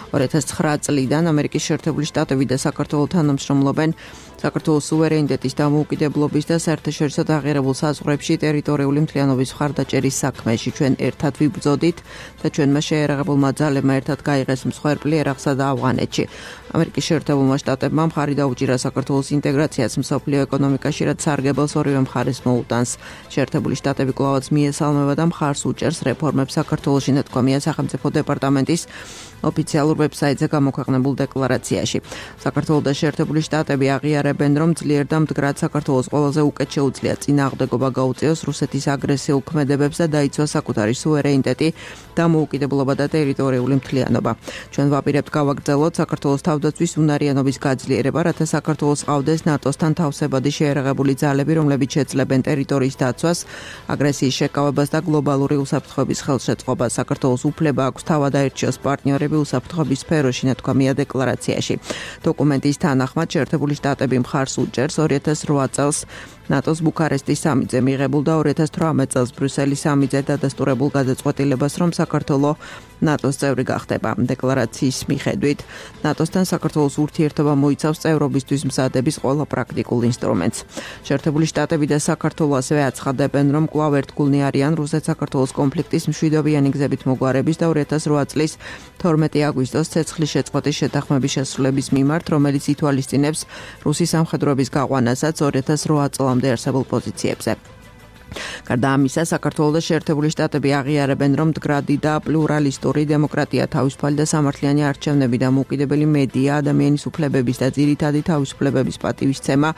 ორი ათას ცხრა წლიდან ამერიკის შეერთებული შტატები და საქართველო თანამშრომლობენ საქართველოს სუვერენიტეტის დამოუკიდებლობის და საერთაშორისო დაღიარებულ საზღვრებში ტერიტორიული მთლიანობის მხარდაჭერის საქმეში ჩვენ ერთად ვიბრძოდით და ჩვენმა შეერაღებულმა ძალებმა ერთად გაიღეს მსხვერპლი ერაყსა და ავღანეთში. ამერიკის შეერთებულმა შტატებმა მხარი დაუჭირა საქართველოს ინტეგრაციას მსოფლიო ეკონომიკაში, რაც სარგებელს ორივე მხარეს მოუტანს. შეერთებული შტატები კვლავაც მიესალმება და მხარს უჭერს რეფორმებს საქართველოში, ნათქვამია სახელმწიფო დეპარტამენტის ოფიციალურ ვებსაიტზე გამოქვეყნებულ декларацияში. საქართველოს და შეერთებული შტატები აღიარებენ, რომ ძლიერ და მდგრად საქართველოს ყველაზე უკეთ შეუძლია წინააღმდეგობა გაუწიოს რუსეთის აგრესიულ ქმედებებს და დაიცვას საკუთარი სუვერენიტეტი, დამოუკიდებლობა და ტერიტორიული მთლიანობა. ჩვენ ვაპირებთ გავაგრძელოთ საქართველოს თავდაცვის უნარიანობის გაძლიერება, რათა საქართველოს ყავდეს ნატოსთან თავსებადი შეერაღებული ძალები, რომლებიც შეძლებენ ტერიტორიის დაცვას, აგრესიის შეკავებას და გლობალური უსაფრთხოების ხელშეწყობას. საქართველოს უფლება აქვს თავად აერჩიოს პარტნიორები უსაფრთხოების სფეროში, ნათქვამია декларацияში. დოკუმენტის თანახმად შეერთებული შტატები მხარს უჭერს ორი ათას რვა წელს ნატოს ბუქარესტის სამიტზე მიღებულ და ორი ათას თვრამეტ წელს ბრიუსელის სამიტზე დადასტურებულ გადაწყვეტილებას, რომ საქართველო ნატოს წევრი გახდება. декларацიის მიხედვით, ნატოსთან საქართველოს ურთიერთობა მოიცავს წევრობისთვის მზადების ყველა პრაქტიკულ ინსტრუმენტს. შეერთებული შტატები და საქართველო ასევე აცხადებენ, რომ კვლავ ერთგულნი არიან რუსეთ-საქართველოს კონფლიქტის მშვიდობიანი გზებით მოგვარების და ორი ათას რვა წლის თორმეტი აგვისტოს ცეცხლის შეწყვეტის შეთანხმების შესრულების მიმართ, რომელიც ითვალისწინებს რუსის სამხედროების გაყვანასაც ორი ათას რვა წლამდე არსებულ პოზიციებზე. გარდა ამისა, საქართველოს და შეერთებული შტატები აღიარებენ, რომ მდგრადი და პლურალისტური დემოკრატია, თავისუფალი და სამართლიანი არჩევნები, დამოუკიდებელი მედია, ადამიანის უფლებების და ძირითადი თავისუფლებების პატივისცემა,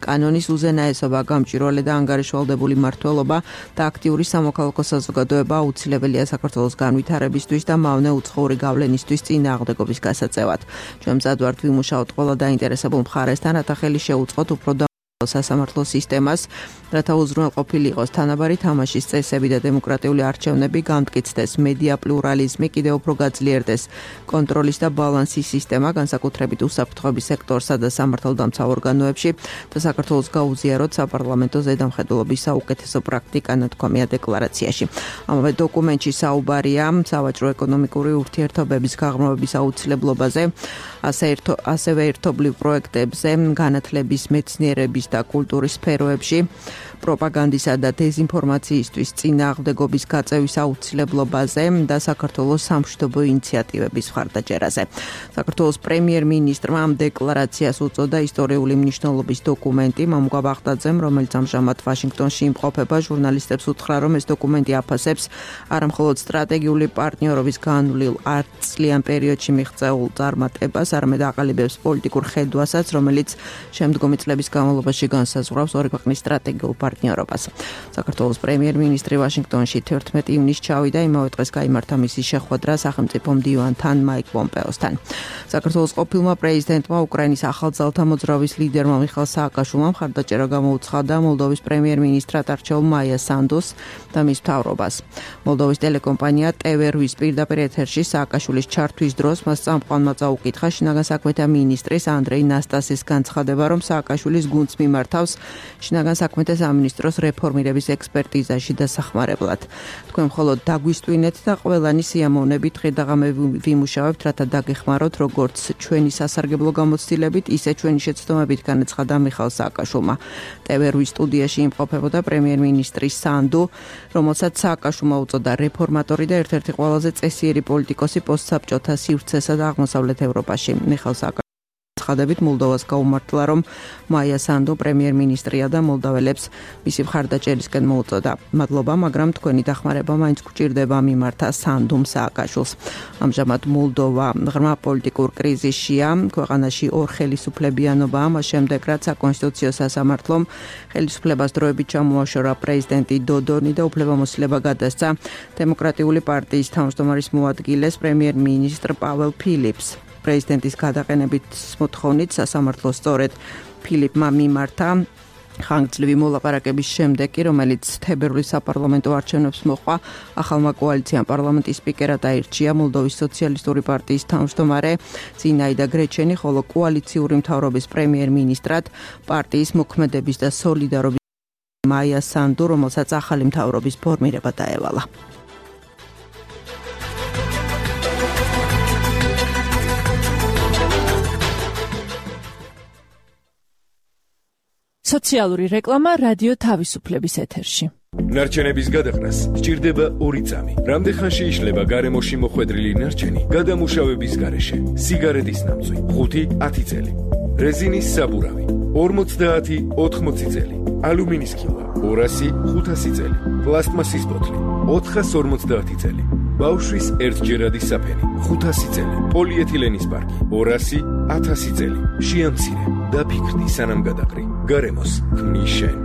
კანონის უზენაესობა, გამჭვირვალე და ანგარიშვალდებული მმართველობა და აქტიური სამოქალაქო საზოგადოება აუცილებელია საქართველოს განვითარებისთვის და მავნე უცხოური გავლენისთვის წინააღმდეგობის გასაწევად. ჩვენ მზად ვართ ვიმუშაოთ ყველა დაინტერესებულ მხარესთან, რათა ხელი შეუწყოთ უფრო სასამართლო სისტემას, რათა უზრუნველყოფილი იყოს თანაბარი თამაშის წესები და დემოკრატიული არჩევნები, გამტკიცდეს მედია პლურალიზმი, კიდევ უფრო გაძლიერდეს კონტროლის და ბალანსის სისტემა, განსაკუთრებით უსაფრთხოების სექტორსა და სამართალდამცავ ორგანოებში და საქართველოს გაუზიაროთ საპარლამენტო ზედამხედველობის საუკეთესო პრაქტიკა ნათქვამია დეკლარაციაში. ამავე დოკუმენტში საუბარია სავაჭრო ეკონომიკური ურთიერთობების გაღრმავების აუცილებლობაზე, ასევე ერთობლივ პროექტებზე, განათლების, მეცნიერების და კულტურის სფეროებში, პროპაგანდისა და დეზინფორმაციისთვის წინააღმდეგობის გაწევის აუცილებლობაზე და საქართველოს სამშვიდობო ინიციატივების მხარდაჭერაზე. საქართველოს პრემიერ-მინისტრმა ამ დეკლარაციას უწოდა ისტორიული მნიშვნელობის დოკუმენტი მამუკა ბაღდაძემ, რომელიც ამჟამად ვაშინგტონში იმყოფება, ჟურნალისტებს უთხრა, რომ ეს დოკუმენტი აფასებს არამხოლოდ სტრატეგიული პარტნიორობის განვლილ ათწლიან პერიოდში მიღწეულ წარმატებას, არამედ აყალიბებს პოლიტიკურ ხედვასაც, რომელიც შემდგომი წლების განმავლობაში განსაზღვრავს ორი ქვეყნის სტრატეგიულ პარტნიორობას. საქართველოს პრემიერ-მინისტრი ვაშინგტონში თერთმეტი ივნისს ჩავიდა, იმავე დღეს გაიმართა მისი შეხვედრა სახელმწიფო მდივანთან მაიკ პომპეოსთან. საქართველოს ყოფილმა პრეზიდენტმა უკრაინის ახალძალთა მოძრაობის ლიდერმა მიხაილ სააკაშვილმა მხარდაჭერა გამოუცხადა მოლდოვის პრემიერ-მინისტრად არჩეულ მაია სანდუს და მის მთავრობას. მოლდოვის ტელეკომპანია ტე ვე რვის პირდაპირ ეთერში სააკაშვილის ჩართვის დროს მას წამყვანმა წაუკითხა შინაგან საქმეთა მინისტრის ანდრეი ნასტასის განცხადება, რომ სააკაშვილის გუნდს მიმართავს შინაგან საქმეთა სამინისტროს რეფორმირების ექსპერტიზაში დასახმარებლად. თქვენ მხოლოდ დაგვისტვინეთ და ყველანი სიამოვნებით ღირდაღამე ვიმუშავებთ, რათა დაგეხმაროთ როგორც ჩვენი სასარგებლო გამოცდილებით, ისე ჩვენი შეცდომებით, განაცხადა მიხაილ სააკაშვილმა. ტე ვე რვის სტუდიაში იმყოფებოდა პრემიერ-მინისტრი სანდუ, რომელსაც სააკაშვილმა უწოდა რეფორმატორი და ერთ-ერთი ყველაზე წესიერი პოლიტიკოსი პოსტსაბჭოთა სივრცესა და აღმოსავლეთ ევროპაში. მიხაილ სააკაშვილმა ცხადებით მოლდოვას გაუმართლა, რომ მაია სანდუ პრემიერ-მინისტრია და მოლდაველებს მისი მხარდაჭერისკენ მოუწოდა. მადლობა, მაგრამ თქვენი დახმარება მაინც გვჭირდება მიმართა სანდუმ სააკაშვილს. ამჟამად მოლდოვა ღრმა პოლიტიკურ კრიზისშია, ქვეყანაში ორ ხელისუფლებიანობაა, მას შემდეგ რაც საკონსტიტუციო სასამართლომ ხელისუფლებას დროებით ჩამოაშორა პრეზიდენტი დოდონი და უფლებამოსილება გადასცა დემოკრატიული პარტიის თავმჯდომარის მოადგილეს პრემიერ-მინისტრ პაველ ფილიპს. პრეზიდენტის გადაყენებით მოთხოვნით სასამართლო სწორედ ფილიპმა მიმართა ხანგრძლივი მოლაპარაკების შემდეგ, რომელიც თებერვლის საპარლამენტო არჩევნებს მოჰყვა, ახალმა კოალიციამ პარლამენტის სპიკერად აირჩია მოლდოვის სოციალისტური პარტიის თავმჯდომარე ზინაიდა გრეჩენი, ხოლო კოალიციური მთავრობის პრემიერ-მინისტრად პარტიის მოქმედების და სოლიდარობის მაია სანდუ, რომელსაც ახალი მთავრობის ფორმირება დაევალა. სოციალური რეკლამა რადიო თავისუფლების ეთერში. ნარჩენების გადაყრას სჭირდება ორი წამი. რამდენ ხანში იშლება გარემოში მოხვედრილი ნარჩენი გადამუშავების გარეშე? სიგარეტის ნამწვი ხუთი ათი წელი, რეზინის საბურავი ორმოცდაათი ოთხმოცი წელი, ალუმინის ქილა ორასი ხუთასი წელი, პლასტმასის ბოთლი ოთხას ორმოცდაათი წელი, ბავშვის ერთჯერადი საფენი ხუთასი წელი, პოლიეთილენის პარკი ორასი ათასი წელი. შეამცირე და ფიქრდი სანამ გადაყრი. გარემოს ქმნის შენ.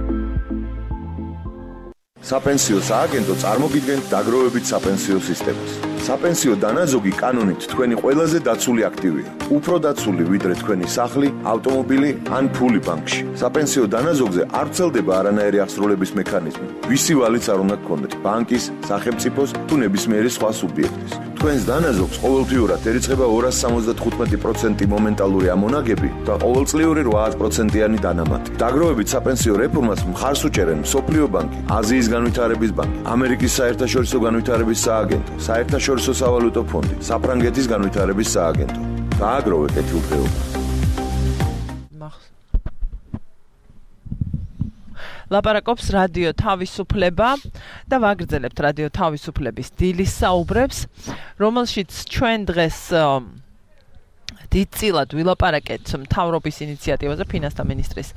საპენსიო სააგენტო წარმოგიდგენთ დაგროვებით საპენსიო სისტემას. საპენსიო დანაზოგი კანონით თქვენი ყველაზე დაცული აქტივია. უფრო დაცული ვიდრე თქვენი სახლი, ავტომობილი ან ფული ბანკში. საპენსიო დანაზოგზე არ ვრცელდება არანაირი აღსრულების მექანიზმი. ვისი ვალიც არ უნდა გქონდეთ, ბანკის, სახელმწიფოს თუ ნებისმიერი სხვა სუბიექტის. თქვენს დანაზოგს ყოველთვიურად ერიცხება ორასი სამოცდათხუთმეტი პროცენტი მომენტალური ამონაგები და ყოველწლიური რვაათ პროცენტიანი დანამატი. დაგროვებით საპენსიო რეფორმას მხარს უჭერენ მსოფლიო ბანკი, აზიის განვითარების ბანკი, ამერიკის საერთაშორისო განვითარების სააგენტო, საერთაშორისო სავალუტო ფონდი, საფრანგეთის განვითარების სააგენტო. დააგროვე კეთილდღეობა. ლაპარაკობს რადიო თავისუფლება და ვაგრძელებთ რადიო თავისუფლების დილის საუბრებს, რომელშიც ჩვენ დღეს დიდწილად ვილაპარაკეთ მთავრობის ინიციატივაზე, ფინანსთა მინისტრის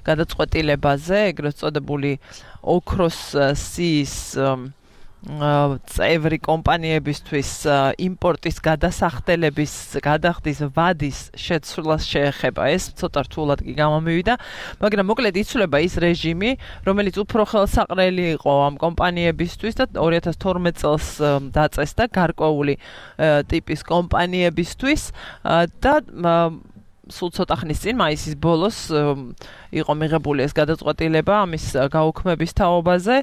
გადაწყვეტილებაზე, ეგრეთ წოდებული ოქროს სიის წევრი კომპანიებისთვის იმპორტის გადასახდელების გადახდის ვადის შეცვლას შეეხება. ეს ცოტა რთულად კი გამომივიდა, მაგრამ მოკლედ იცვლება ის რეჟიმი, რომელიც უფრო ხელსაყრელი იყო ამ კომპანიებისთვის და ორი ათას თორმეტ წელს დაწესდა გარკვეული ტიპის კომპანიებისთვის და სულ ცოტა ხნის წინ მაისის ბოლოს იყო მიღებული ეს გადაწყვეტილება ამის გაუქმების თაობაზე.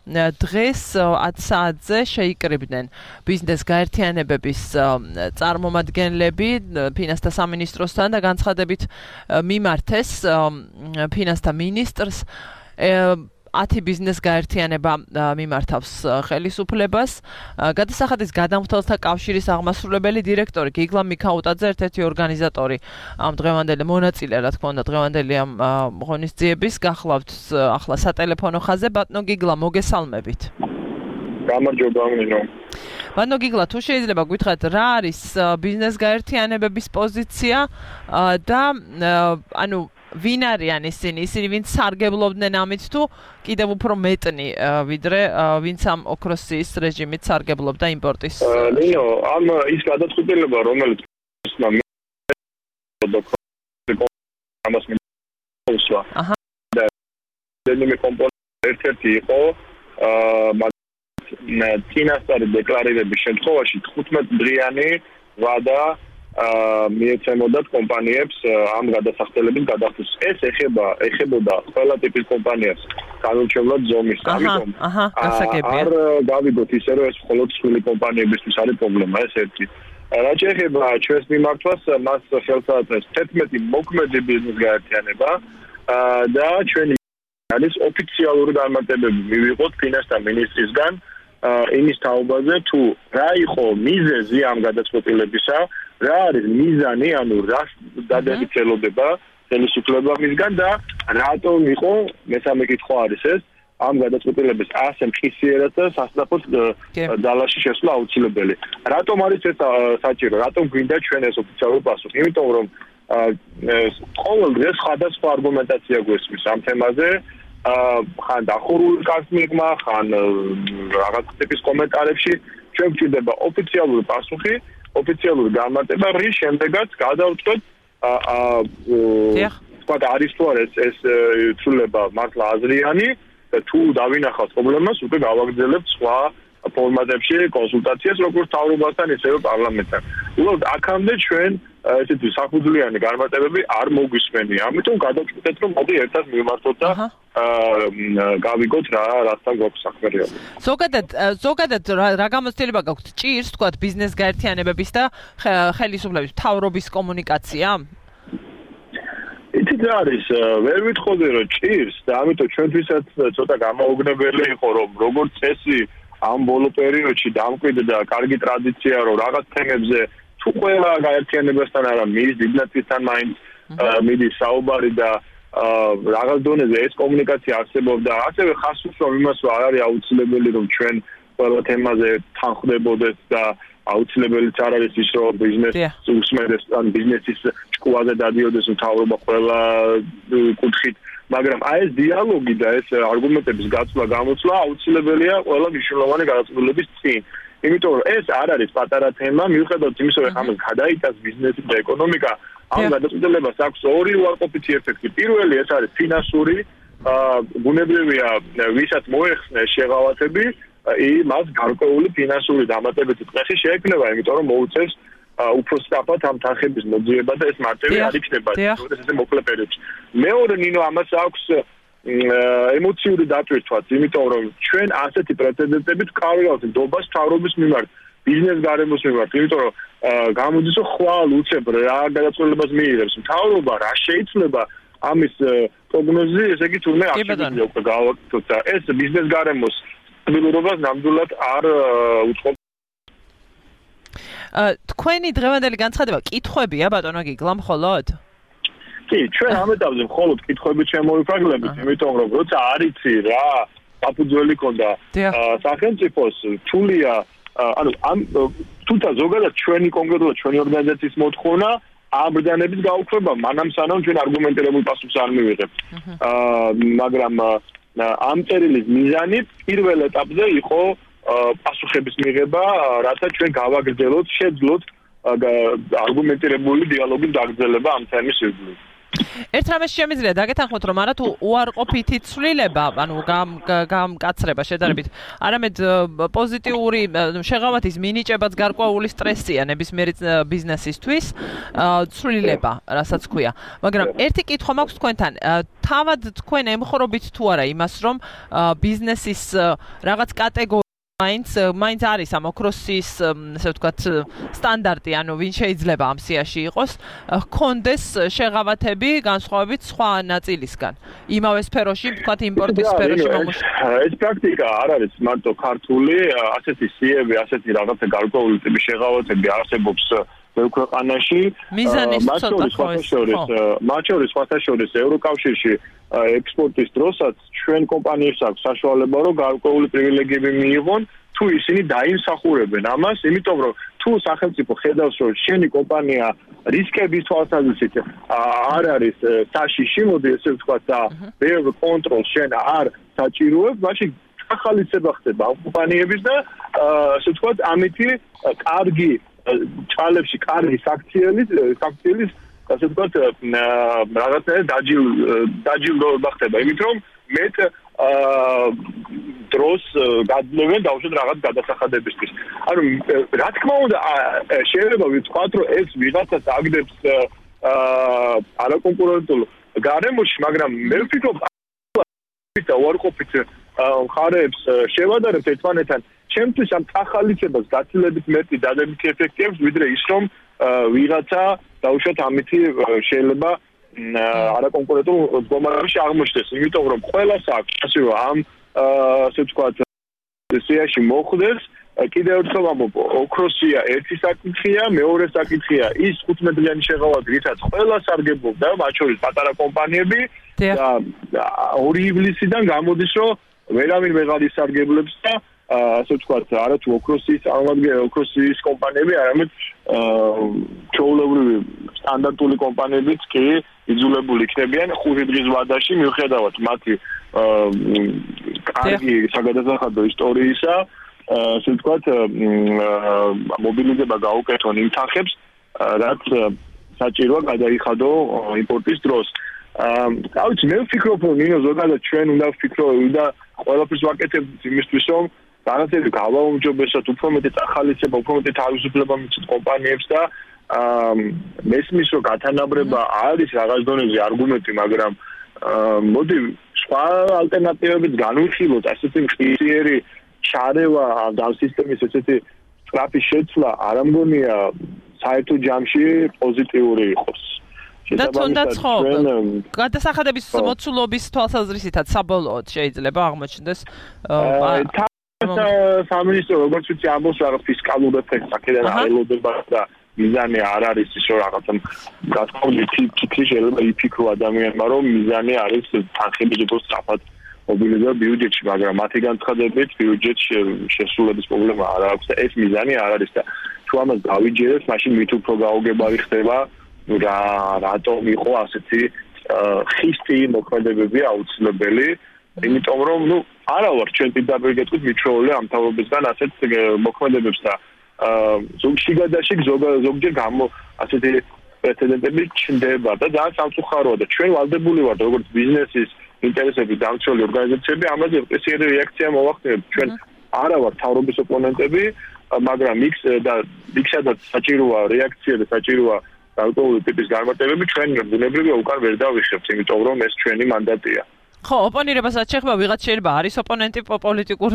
დღეს ათ საათზე შეიკრიბნენ ბიზნეს გაერთიანებების წარმომადგენლები ფინანსთა სამინისტროსთან და განცხადებით მიმართეს ფინანსთა მინისტრს ათი ბიზნეს გაერთიანება მიმართავს ხელისუფლებას. გადასახადის გადამხდელთა კავშირის აღმასრულებელი დირექტორი გიგლა მიქაუტაძე ერთ-ერთი ორგანიზატორი ამ დღევანდელი მონაწილე, რა თქმა უნდა, დღევანდელი ამ ღონისძიების გახლავთ ახლა სატელეფონო ხაზზე. ბატონო გიგლა, მოგესალმებით. გამარჯობა, მინო. ბატონო გიგლა, თუ შეიძლება გითხრათ, რა არის ბიზნეს გაერთიანებების პოზიცია და ანუ ვინ არიან ისინი, ისინი ვინც სარგებლობდნენ ამით თუ კიდევ უფრო მეტნი ვიდრე ვინც ამ ოქროსის რეჟიმით სარგებლობდა იმპორტის. ნინო, ამ ის გადაწყვეტილება, რომელიც ამას მისვა. აჰა. და დემი კომპონენტი ერთ-ერთი იყო აა ფინანსური დეკლარირების შემთხვევაში თხუთმეტ დღიანი ვადა აა მიეცემოდათ კომპანიებს ამ გადასახდელების გადახდის. ეს ეხება ეხებოდა ყველა ტიპის კომპანიებს განურჩევლად ზომის. ამიტომ აჰა, გასაგებია. არ გავიგოთ ისე რომ ეს მხოლოდ სხვილი კომპანიებისთვის არის პრობლემა, ეს ერთი. რაც ეხება ჩვენს მიმართვას, მას ხელს აწყობს თერთმეტი მოქმედი ბიზნეს გაერთიანება და ჩვენი არის ოფიციალური განმარტებები მივიღოთ ფინანსთა მინისტრისგან იმის თაობაზე თუ რა იყო მიზეზი ამ გადაწყვეტილებისა, რა არის მიზანი, ანუ რა დადებით ელოდება ხელისუფლებამისგან და რატომ იყო მესამე კითხვა არის ეს ამ გადაწყვეტილების ასე მყისიერად და სასწრაფოდ ძალაში შესვლა აუცილებელი. რატომ არის ეს საჭირო? რატომ გვინდა ჩვენ ეს ოფიციალური პასუხი? იმიტომ რომ ყოველ დღეს სხვადასხვა არგუმენტაცია გვესმის ამ თემაზე. ხან დახურული კარგ მიღმა, ხან რაღაც ტიპის კომენტარებში ჩვენ გვჭირდება ოფიციალური პასუხი, ოფიციალური განმარტება, რის შემდეგაც გადავწყვეტ აა თქვა არის თუ არა ეს ცვლილება მართლა აზრიანი და თუ დავინახავთ პრობლემას, უკვე გავაგრძელებთ სხვა ფორმატებში კონსულტაციას, როგორც თავრობასთან, ისევე პარლამენტთან. უბრალოდ აქამდე ჩვენ ესეთი საფუძვლიანი განმარტებები არ მოგვისმენია. ამიტომ გადავწყვეტეთ, რომ მოდი ერთად მივმართოთ და გავიგოთ რა რასთან გვაქვს საქმე რეალურად. ზოგადად ზოგადად რა გამოცდილება გაქვთ? ჭირს თქვა ბიზნეს გაერთიანებების და ხელისუფლების მთავრობის კომუნიკაცია? იცით რა არის, ვერ ვითხოვდი რომ ჭირს და ამიტომ ჩვენთვისაც ცოტა გამაოგნებელი იყო რომ როგორც წესი ამ ბოლო პერიოდში დამკვიდრდა კარგი ტრადიცია რომ რაღაც თემებზე თუ ყველა გაერთიანებასთან არა მის დიდნაცისთან მაინც მიდის საუბარი და რაღაც დონეზე ეს კომუნიკაცია არსებობდა. ასევე ხას უსვამ იმას რომ არ არის აუცილებელი რომ ჩვენ ყველა თემაზე თანხმდებოდეთ და აუცილებელიც არ არის ის რომ ბიზნესს უსმენდეს ან ბიზნესის ჭკუაზე დადიოდეს მთავრობა ყველა კუთხით. მაგრამ აი ეს დიალოგი და ეს არგუმენტების გაცვლა გამოცვლა აუცილებელია ყველა მნიშვნელოვანი გადაწყვეტილების წინ. იმიტომ რომ ეს არ არის პატარა თემა, მიუხედავად იმისა, რომ ამას გადაიტანს ბიზნესი და ეკონომიკა, ამ გადაწყვეტილებას აქვს ორი უარყოფითი ეფექტი. პირველი ეს არის ფინანსური, ბუნებრივია, ვისაც მოეხსნეს შეღავათები, მას გარკვეული ფინანსური დამატებითი წესი შეექმნება, იმიტომ რომ მოუწევს უფრო სწრაფად ამ თანხების მოძიება და ეს მარტივი არ იქნება, როდესაც ესე მოკლე პერიოდში. მეორე ნინო ამას აქვს ემოციური დატვირთვაც, იმიტომ რომ ჩვენ ასეთი პრეცედენტებით ვკავებთ ნდობას მთავრობის მიმართ, ბიზნეს გარემოს მიმართ, იმიტომ რომ გამოდის რომ ხვალ უცებ რა გადაწყვეტილებას მიიღებს მთავრობა, რა შეიძლება ამის პროგნოზი, ესე იგი თურმე აღშეგიძლია უკვე გავაკეთოთ და ეს ბიზნეს გარემოს სტაბილურობას ნამდვილად არ უწყობს. თქვენი დღევანდელი განცხადება კითხვებია ბატონო გიგლა მხოლოდ? კი, ჩვენ ამ ეტაპზე მხოლოდ კითხვებით შემოვიფარგლებით, იმიტომ რომ როცა არიცი რა საფუძველი ქონდა სახელმწიფოს თულია, ანუ ამ თუმცა ზოგადად ჩვენი კონკრეტულად ჩვენი ორგანიზაციის მოთხოვნა ამ ბრძანების გაუქმება, მანამ სანამ ჩვენ არგუმენტირებულ პასუხს არ მივიღებთ. მაგრამ ამ წერილის მიზანი პირველ ეტაპზე იყო პასუხების მიღება, რათა ჩვენ გავაგრძელოთ, შეძლოთ არგუმენტირებული დიალოგის გაგრძელება ამ თემის ირგვლივ. ერთ რამეს შემიძლია დაგეთანხმოთ, რომ არა თუ უარყოფითი ცვლილება, ანუ გამკაცრება შედარებით, არამედ პოზიტიური შეღავათის მინიჭებაც გარკვეული სტრესია ნებისმიერი ბიზნესისთვის, ცვლილება, რასაც ქვია. მაგრამ ერთი კითხვა მაქვს თქვენთან, თავად თქვენ ემხრობით თუ არა იმას, რომ ბიზნესის რაღაც კატეგორია მაინც მაინც არის ამ ოქროსის, ასე ვთქვათ, სტანდარტი, ანუ ვინ შეიძლება ამ სიაში იყოს, ჰქონდეს შეღავათები განსხვავებით სხვა ნაწილისგან. იმავე სფეროში, ვთქვათ, იმპორტის სფეროში მომუშავე. ეს პრაქტიკა არ არის მარტო ქართული, ასეთი სიები, ասეთი რაღაცა გარკვეული ტიპის შეღავათები არსებობს ბევრ ქვეყანაში. მათ შორის სხვათა შორის ევროკავშირში ექსპორტის დროსაც ჩვენ კომპანიებს აქვს საშუალება, რომ გარკვეული პრივილეგიები მიიღონ, თუ ისინი დაიმსახურებენ ამას, იმიტომ რომ თუ სახელმწიფო ხედავს, რომ შენი კომპანია რისკების თვალსაზრისით არ არის საშიში, მოდი ესე ვთქვათ, და ბევრ კონტროლს შენ არ საჭიროებ, მაშინ ახალისება ხდება ამ კომპანიების და ასე ვთქვათ, ამითი კარგი ჭალებში კარგი საქციელის საქციელის ასე ვთქვათ რაღაცნაირად დაჯილ დაჯილდოება ხდება, იმით რომ მეტ დროს გადმევენ დაუშვათ რაღაც გადასახადებისთვის. ანუ რა თქმა უნდა შეიძლება ვიტყვათ, რომ ეს ვიღაცას აგდებს არაკონკურენტულ გარემოში, მაგრამ მე ვფიქრობ და უარყოფით მხარეებს შევადარებთ ერთმანეთთან, ჩემთვის ამ ახალიცებას გაცილებით მეტი დადებითი ეფექტი აქვს, ვიდრე ის რომ ვიღაცა დაუშვათ ამითი შეიძლება არაკონკურენტულ მდგომარეობაში აღმოჩნდეს, იმიტომ რომ ყველას აქვს ასე რომ ამ ასე ვთქვათ სიაში მოხდეს. კიდევ ერთხელ ვამბობ, ოქროსია ერთი საკითხია, მეორე საკითხია ის ხუთმეტლიანი შეღავათი, რითაც ყველა სარგებლობდა, მათ შორის პატარა კომპანიები და ორი ივლისიდან გამოდის, რომ ვერავინ ვეღარ ისარგებლებს და ასე ვთქვათ, არა თუ ოქროსის წარმომადგენელი, ოქროსის კომპანიები, არამედ ჩვეულებრივი სტანდარტული კომპანიებიც კი იძულებული იქნებიან ხუთი დღის ვადაში, მიუხედავად მათი კარგი საგადასახადო ისტორიისა, ასე ვთქვათ, მობილიზება გაუკეთონ იმ თანხებს, რაც საჭიროა გადაიხადო იმპორტის დროს. აა, ვიცი, მე ვფიქრობ, რომ ნინო ზოგადად ჩვენ უნდა ვფიქროთ და ყველაფერს ვაკეთებთ იმისთვის, რომ რაღაცები გავაუმჯობესოთ, უფრო მეტი ახალისება, უფრო მეტი თავისუფლება მიცეთ კომპანიებს და აა მესმის, რომ გათანაბრება არის რაღაც დონეზე არგუმენტი, მაგრამ მოდი სხვა ალტერნატივებიც განვიხილოთ, ასეთი მყისიერი შარევა და სისტემის ესეთი სწრაფი შეცვლა არ ამგონია საერთო ჯამში პოზიტიური იყოს. და თუნდაც ხო, გადასახადების მოცულობის თვალსაზრისითაც საბოლოოდ შეიძლება აღმოჩნდეს სამინისტრო როგორც ვიცი ამბობს რაღაც ფისკალურ ეფექტს აქედან აელოდება და მიზანი არ არის ის რომ რაღაცა გასწავლი თითქოს შეიძლება იფიქრო ადამიანმა რომ მიზანი არის თანხების უფრო სწრაფად მობილიზება ბიუჯეტში, მაგრამ მათი განცხადებით ბიუჯეტში შესრულების პრობლემა არ აქვს და ეს მიზანი არ არის და თუ ამას გავიჯერებთ, მაშინ მით უფრო გაუგებარი ხდება რა რატომ იყო ასეთი ხისტი მოქმედებები აუცილებელი, იმიტომ რომ ნუ არა ვარ ჩვენ პირდაპირ გეტყვით მიჩვეული ამ თავრობისგან ასეთ მოქმედებებს და ზოგში გადაშიგ ზოგჯერ გამო ასეთი პრეცედენტები ჩნდება და ძალიან სამწუხაროა და ჩვენ ვალდებული ვართ როგორც ბიზნესის ინტერესების დამცველი ორგანიზაციები ამაზე პრესიერი რეაქცია მოვახდინებთ. ჩვენ არა ვართ თავრობის ოპონენტები, მაგრამ იქ და იქსადაც საჭიროა რეაქცია და საჭიროა გარკვეული ტიპის განმარტებები ჩვენ ბუნებრივია უკან ვერ დავიხებთ, იმიტომ რომ ეს ჩვენი მანდატია. ხო, ოპონირებასაც შეხება, ვიღაც შეიძლება არის ოპონენტი პოლიტიკურ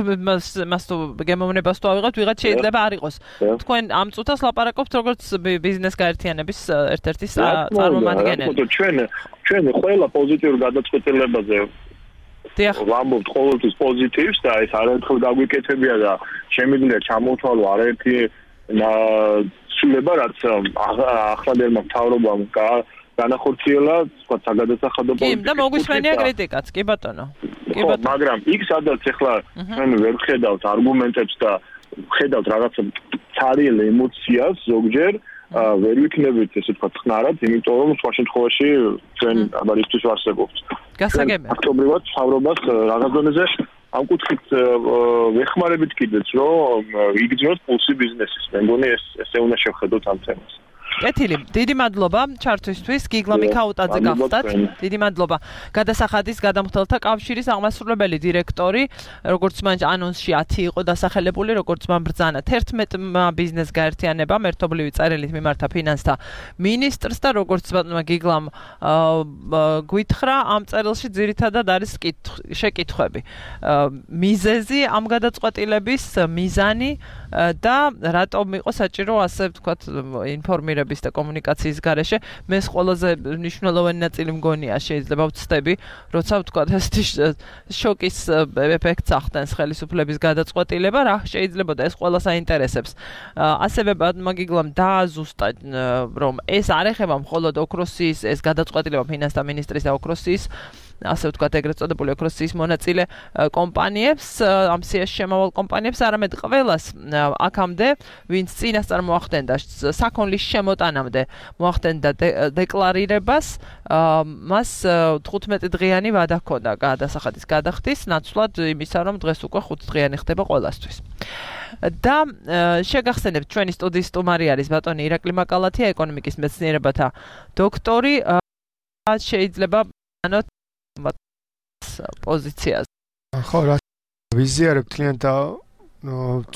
მას თუ გემოვნებას თუ ავიღოთ, ვიღაც შეიძლება არ იყოს. თქვენ ამ წუთას ლაპარაკობთ როგორც ბიზნეს გაერთიანების ერთ-ერთი წარმომადგენელი. ჩვენ ჩვენ ყველა პოზიტიურ გადაწყვეტილებაზე ვამბობთ ყოველთვის პოზიტივს და ეს არაერთხელ გაგვიკეთებია და შემიძლია ჩამოთვალო არაერთი ცვლილება, რაც ახლადელმა მთავრობამ განახორციელა, თქვა საგადასახადო პოლიტიკა. კი, და მოგვისმენია კრიტიკაც, კი ბატონო. კი ბატონო. მაგრამ იქ სადაც ახლა ჩვენ ვერ ხედავთ არგუმენტებს და ხედავთ რაღაცა ცარიელ ემოციას ზოგჯერ, ვერ ვიქნებით ესე თქვა ხნარად, იმიტომ რომ სხვა შემთხვევაში ჩვენ ამარისთვის ვარსებობთ. გასაგებია. ფაქტობრივად მთავრობას რაღაც დონეზე ამ კუთხით ვეხმარებით კიდეც, რომ იგრძნოთ პულსი ბიზნესის. მე მგონი ეს ესე უნდა შევხედოთ ამ თემას. კეთილი, დიდი მადლობა ჩართვისთვის, გიგლა მიქაუტაძე გახდათ. დიდი მადლობა. გადასახადის გადამხდელთა კავშირის აღმასრულებელი დირექტორი, როგორც მან ანონსში ათი იყო დასახელებული, როგორც მან ბრძანა თერთმეტმა ბიზნეს გაერთიანებამ ერთობლივი წერილით მიმართა ფინანსთა მინისტრს და როგორც ბატონმა გიგლამ გვითხრა, ამ წერილში ძირითადად არის შეკითხვები. მიზეზი ამ გადაწყვეტილების მიზანი და რატომ იყო საჭირო ასე ვთქვათ ინფორმირების და კომუნიკაციის გარეშე მეს ყველაზე მნიშვნელოვანი ნაწილი მგონია შეიძლება ვცდები როცა ვთქვათ ესეთი შოკის ეფექტს ახდენს ხელისუფლების გადაწყვეტილება რა შეიძლება და ეს ყველას აინტერესებს ასევე ბატონმა გიგლამ დააზუსტა რომ ეს არ ეხება მხოლოდ ოქროსის ეს გადაწყვეტილება ფინანსთა მინისტრის და ოქროსის ასე ვთქვათ ეგრეთ წოდებული ოქროსის მონაწილე კომპანიებს ამ სიაში შემავალ კომპანიებს არამედ ყველას აქამდე ვინც წინასწარ მოახდენდა საქონლის შემოტანამდე მოახდენდა დეკლარირებას მას თხუთმეტი დღიანი ვადა ჰქონდა გადასახადის გადახდის ნაცვლად იმისა რომ დღეს უკვე ხუთ დღიანი ხდება ყველასთვის და შეგახსენებთ ჩვენი სტუდიის სტუმარი არის ბატონი ირაკლი მაკალათია ეკონომიკის მეცნიერებათა დოქტორი შეიძლება ანოთ პოზიციას. ხო, რა ვიზიარებ თლიან და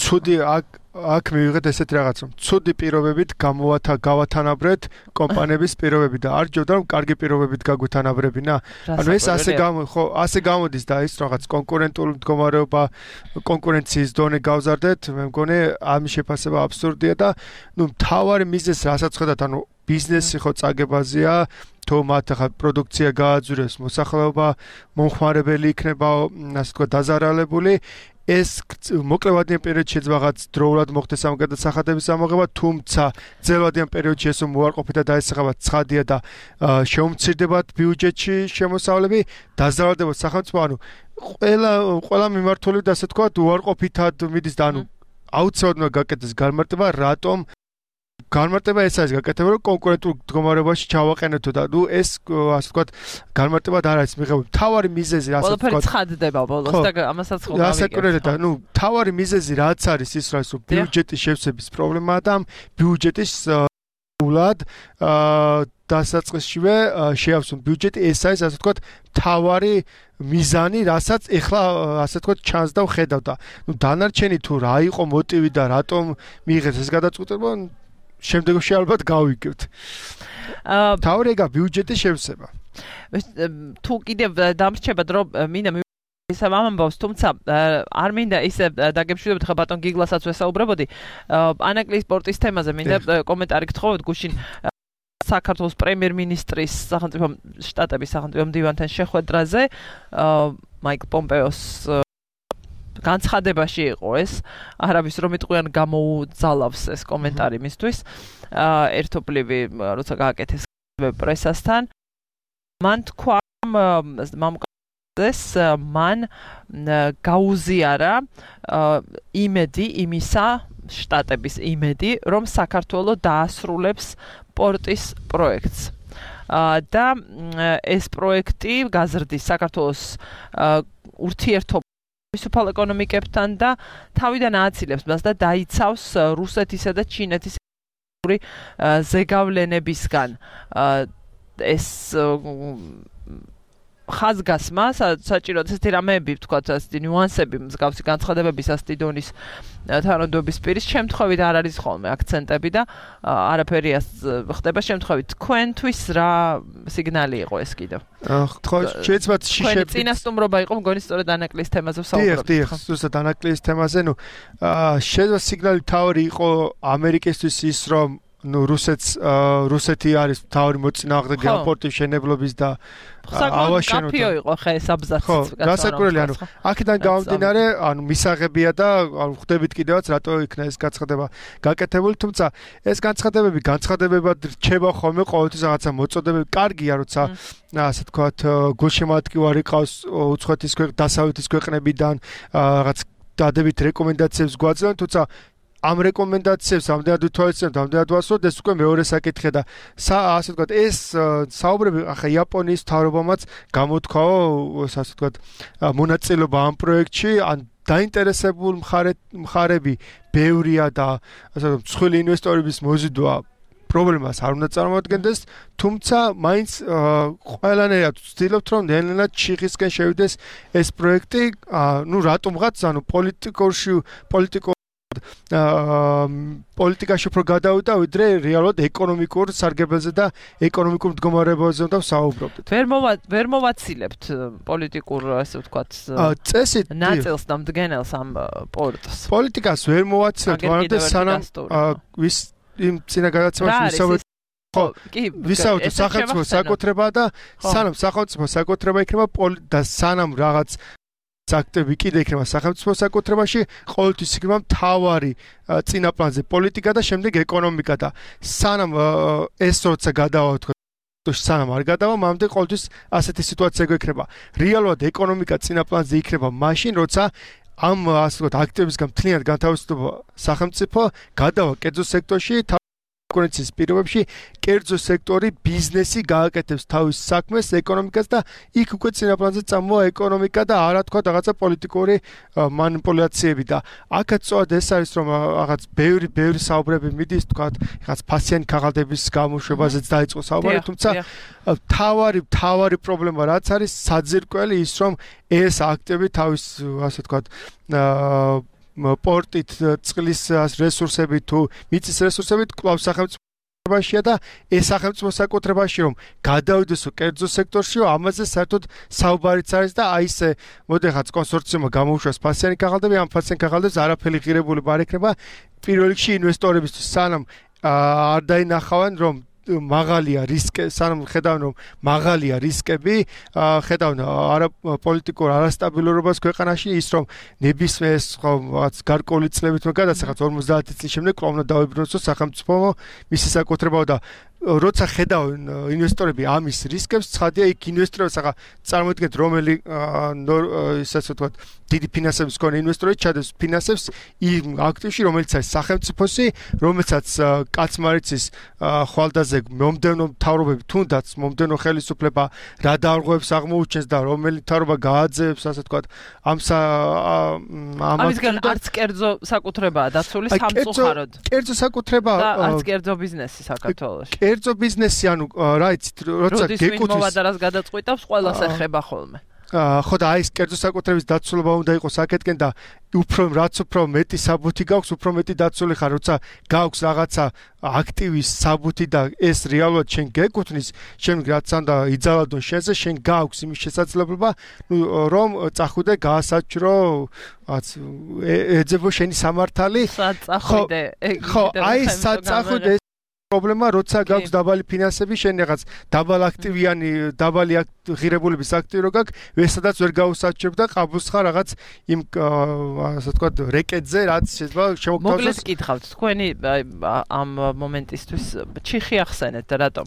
ცუდი აქ აქ მივიღეთ ესეთ რაღაც რომ ცუდი პირობებით გამოვათა გავათანაბრეთ კომპანიების პირობები და არ ჯობდა რომ კარგი პირობებით გაგვეთანაბრებინა. ანუ ეს ასე გამო ხო, ასე გამოდის და ის რაღაც კონკურენტული მდგომარეობა კონკურენციის დონე გავზარდეთ. მე მგონი ამის შეფასება აბსურდია და ნუ მთავარი მიზეზი რასაც ხედავთ, ანუ ბიზნესი ხო წაგებაზია თუ მათ ახლა პროდუქცია გააძვრეს, მოსახლეობა მომხმარებელი იქნება, ასე ვთქვათ, დაზარალებული. ეს მოკლევადიან პერიოდში შეიძლება რაღაც დროულად მოხდეს ამ გადასახადების ამოღება, თუმცა ძელვადიან პერიოდში ეს უარყოფით და დაესახება ცხადია და შეუმცირდებათ ბიუჯეტში შემოსავლები, დაზარალდებათ სახელმწიფო, ანუ ყველა ყველა მიმართულებით ასე ვთქვათ, უარყოფითად მიდის და ანუ აუცილებლად გაკეთდეს განმარტება, რატომ განმარტება ეს არის გაკეთებული რომ კონკურენტულ მდგომარეობაში ჩავაყენეთო და ნუ ეს ასე ვთქვათ განმარტება არ არის მიღებული. თავარი მიზეზი რასაც ვთქვათ. ყველაფერი ცხადდება ბოლოს და ამასაც ხო გავიგებთ. რასაკვირველია და ნუ თავარი მიზეზი რაც არის ის რაც ბიუჯეტის შევსების პრობლემაა და ბიუჯეტის ულად დასაწყისშივე შეავსონ ბიუჯეტი ეს არის ასე ვთქვათ თავარი მიზანი რასაც ეხლა ასე ვთქვათ ჩანს და ვხედავ და ნუ დანარჩენი თუ რა იყო მოტივი და რატომ მიიღეს ეს გადაწყვეტილება შემდეგში ალბათ გავიგებთ. აა თავრეგა ბიუჯეტის შევსება. თუ კიდევ დამრჩებათ რომ მინდა ისე ამბავს, თუმცა არ მინდა ისე დაგემშვიდობთ ხა ბატონ გიგლასაც ვესაუბრებოდი. ანაკლის სპორტის თემაზე მინდა კომენტარი გთხოვოთ გუშინ საქართველოს პრემიერ-მინისტრის სახელმწიფო შტატების სახელმწიფო მდივანთან შეხვედრაზე მაიკ პომპეოს განცხადებაში იყო ეს არაბის რომ იტყვიან გამოუძალავს ეს კომენტარი მისთვის ერთობლივი როცა გააკეთეს პრესასთან მან თქვა მამკაცეს მან გაუზიარა იმედი იმისა შტატების იმედი რომ საქართველოს დაასრულებს პორტის პროექტს და ეს პროექტი გაზრდის საქართველოს ურთიერთობა მისუფალ ეკონომიკებთან და თავიდან ააცილებს მას და დაიცავს რუსეთისა და ჩინეთის ზეგავლენებისგან ეს ხაზგასმა საჭიროა ესეთი რამეები ვთქვათ ასეთი ნიუანსები მსგავსი განცხადებების ასეთი დონის თანადობის პირის შემთხვევით არ არის ხოლმე აქცენტები და არაფერი ხდება შემთხვევით თქვენთვის რა სიგნალი იყო ეს კიდევ ხო შეიძლება შიშები წინასწომრობა იყო მგონი სწორედ ანაკლის თემაზე ვსაუბრობთ დიახ დიახ ზუსტად ანაკლის თემაზე ნუ შეიძლება სიგნალი თავი იყო ამერიკისთვის ის რომ ნუ რუსეთს რუსეთი არის თავი მოწინააღმდეგე პორტის შენებლობის და ავაშენოთ. კაფიო იყო ხე ეს აბზაცი. ხო, რასაკვირველია, ანუ აქედან გამომდინარე, ანუ მისაღებია და ანუ ხვდებით კიდევაც რატო იქნა ეს განცხადება გაკეთებული, თუმცა ეს განცხადებები განცხადებებად რჩება ხოლმე ყოველთვის რაღაცა მოწოდებები. კარგია, როცა ასე თქვათ, გულშემატკივარი ყავს უცხოეთის ქვეყნ დასავლეთის ქვეყნებიდან რაღაც დადებით რეკომენდაციებს გვაძლევენ, თუმცა ამ რეკომენდაციებს ამდენად ვითვალისწინებთ, ამდენად ვასრულებთ, ეს უკვე მეორე საკითხია და ასე ვთქვათ, ეს საუბრები ახლა იაპონიის მთავრობამაც გამოთქვაო, ასე ვთქვათ, მონაწილეობა ამ პროექტში, ან დაინტერესებული მხარე მხარები ბევრია და ასე ვთქვათ, მსხვილი ინვესტორების მოზიდვა პრობლემას არ უნდა წარმოადგენდეს, თუმცა მაინც ყველანაირად ვცდილობთ რომ ნელ-ნელა ჩიხისკენ შევიდეს ეს პროექტი, ну რატომღაც, ანუ პოლიტიკურში პოლიტიკო პოლიტიკაში უფრო გადავიდა, ვიდრე რეალურად ეკონომიკურ სარგებელზე და ეკონომიკურ მდგომარეობაზე უნდა ვსაუბრობდეთ. ვერ მოვა ვერ მოვაცილებთ პოლიტიკურ, ასე ვთქვათ, წესით ნაწილს და მდგენელს ამ პორტს. პოლიტიკას ვერ მოვაცილებთ, მაგრამ სანამ ვის იმ წინა გადაცემაში ვისაუბრეთ ხო, ვისაუბრეთ სახელმწიფო საკუთრება და სანამ სახელმწიფო საკუთრება იქნება და სანამ რაღაც აქტები კიდე იქნება სახელმწიფო საკუთრებაში, ყოველთვის იქნება მთავარი წინაპლანზე პოლიტიკა და შემდეგ ეკონომიკა და სანამ ეს როცა გადავა თქო სანამ არ გადავა, მამდე ყოველთვის ასეთი სიტუაცია გვექნება. რეალურად ეკონომიკა წინაპლანზე იქნება მაშინ, როცა ამ ასე ვთქვათ აქტებისგან მთლიანად განთავისუფლდება სახელმწიფო, გადავა კერძო სექტორში კონკურენციის პირობებში, კერძო სექტორი ბიზნესი გააკეთებს თავის საქმეს, ეკონომიკას და იქ უკვე წინაპლანზე წამოვა ეკონომიკა და არა თქვა რაღაცა პოლიტიკური მანიპულაციები და აქაც სწორად ეს არის რომ რაღაც ბევრი ბევრი საუბრები მიდის თქვა რაღაც ფასიანი ქაღალდების გამოშვებაზეც დაიწყო საუბარი, თუმცა თავარი თავარი პრობლემა რაც არის საძირკველი ის რომ ეს აქტები თავის ასე თქვა პორტით წყლის რესურსებით თუ მიწის რესურსებით კვლავ სახელმწიფოებაშია და ეს სახელმწიფო საკუთრებაში რომ გადავიდეს კერძო სექტორში, ამაზე საერთოდ საუბარიც არის და აი ესე მოდიხაც კონსორციუმმა გამოუშვას ფასიანი ქაღალდები, ამ ფასიანი ქაღალდებს არაფერი ღირებული არ ექნება პირველ რიგში ინვესტორებისთვის, სანამ არ დაინახავენ რომ მაღალია რისკი, სანამ ხედავენ რომ მაღალია რისკები, ხედავენ არა პოლიტიკურ არასტაბილურობას ქვეყანაში, ის რომ ნებისმიერ რაღაც გარკვეული წლებით გადასახაც ორმოცდაათი წლის შემდეგ კვლავ უნდა დავიბრუნოს სახელმწიფო მისი საკუთრებაა და როცა ხედავენ ინვესტორები ამის რისკებს, ცხადია იქ ინვესტორებს ახლა წარმოიდგინეთ რომელი ისე ვთქვათ დიდი ფინანსების მქონე ინვესტორი ჩადებს ფინანსებს იმ აქტივში, რომელიც არის სახელმწიფოსი, რომელსაც კაცმარიცის ხვალდაზე მომდევნო მთავრობები თუნდაც მომდევნო ხელისუფლება რა დარღვევებს აღმოუჩენს და რომელი მთავრობა გააძევებს, ასე ვთქვათ, ამ ამისგან არც კერძო საკუთრებაა დაცული სამწუხაროდ. კერძო საკუთრება და არც კერძო ბიზნესი საქართველოში. კერძო ბიზნესი, ანუ რა იცით, როცა გეკუთვნის მოვადარას გადაწყვიტავს, ყველას ეხება ხოლმე. ხო და აი ეს კერძო საკუთრების დაცულობა უნდა იყოს აქეთკენ და უფრო რაც უფრო მეტი საბუთი გაქვს, უფრო მეტი დაცული ხარ, როცა გაქვს რაღაცა აქტივის საბუთი და ეს რეალურად შენ გეკუთვნის, შენ რაც უნდა იძალადონ შენზე, შენ გაქვს იმის შესაძლებლობა, რომ წახვიდე გაასაჭრო, რაც ეძებო შენი სამართალი. საწახვიდე. ხო, აი საწახვიდე პრობლემა, როცა გაქვს დაბალი ფინანსები, შენ რაღაც დაბალ აქტივიანი, დაბალი ღირებულების აქტივი რო გაქვს, ვესადაც ვერ გაუსაჭრებ და ყაბულს ხარ რაღაც იმ ასე ვთქვათ რეკეტზე, რაც შეიძლება შევგთავაზოს. მოკლედ გითხავთ, თქვენი ამ მომენტისთვის ჩიხი ახსენეთ და რატომ?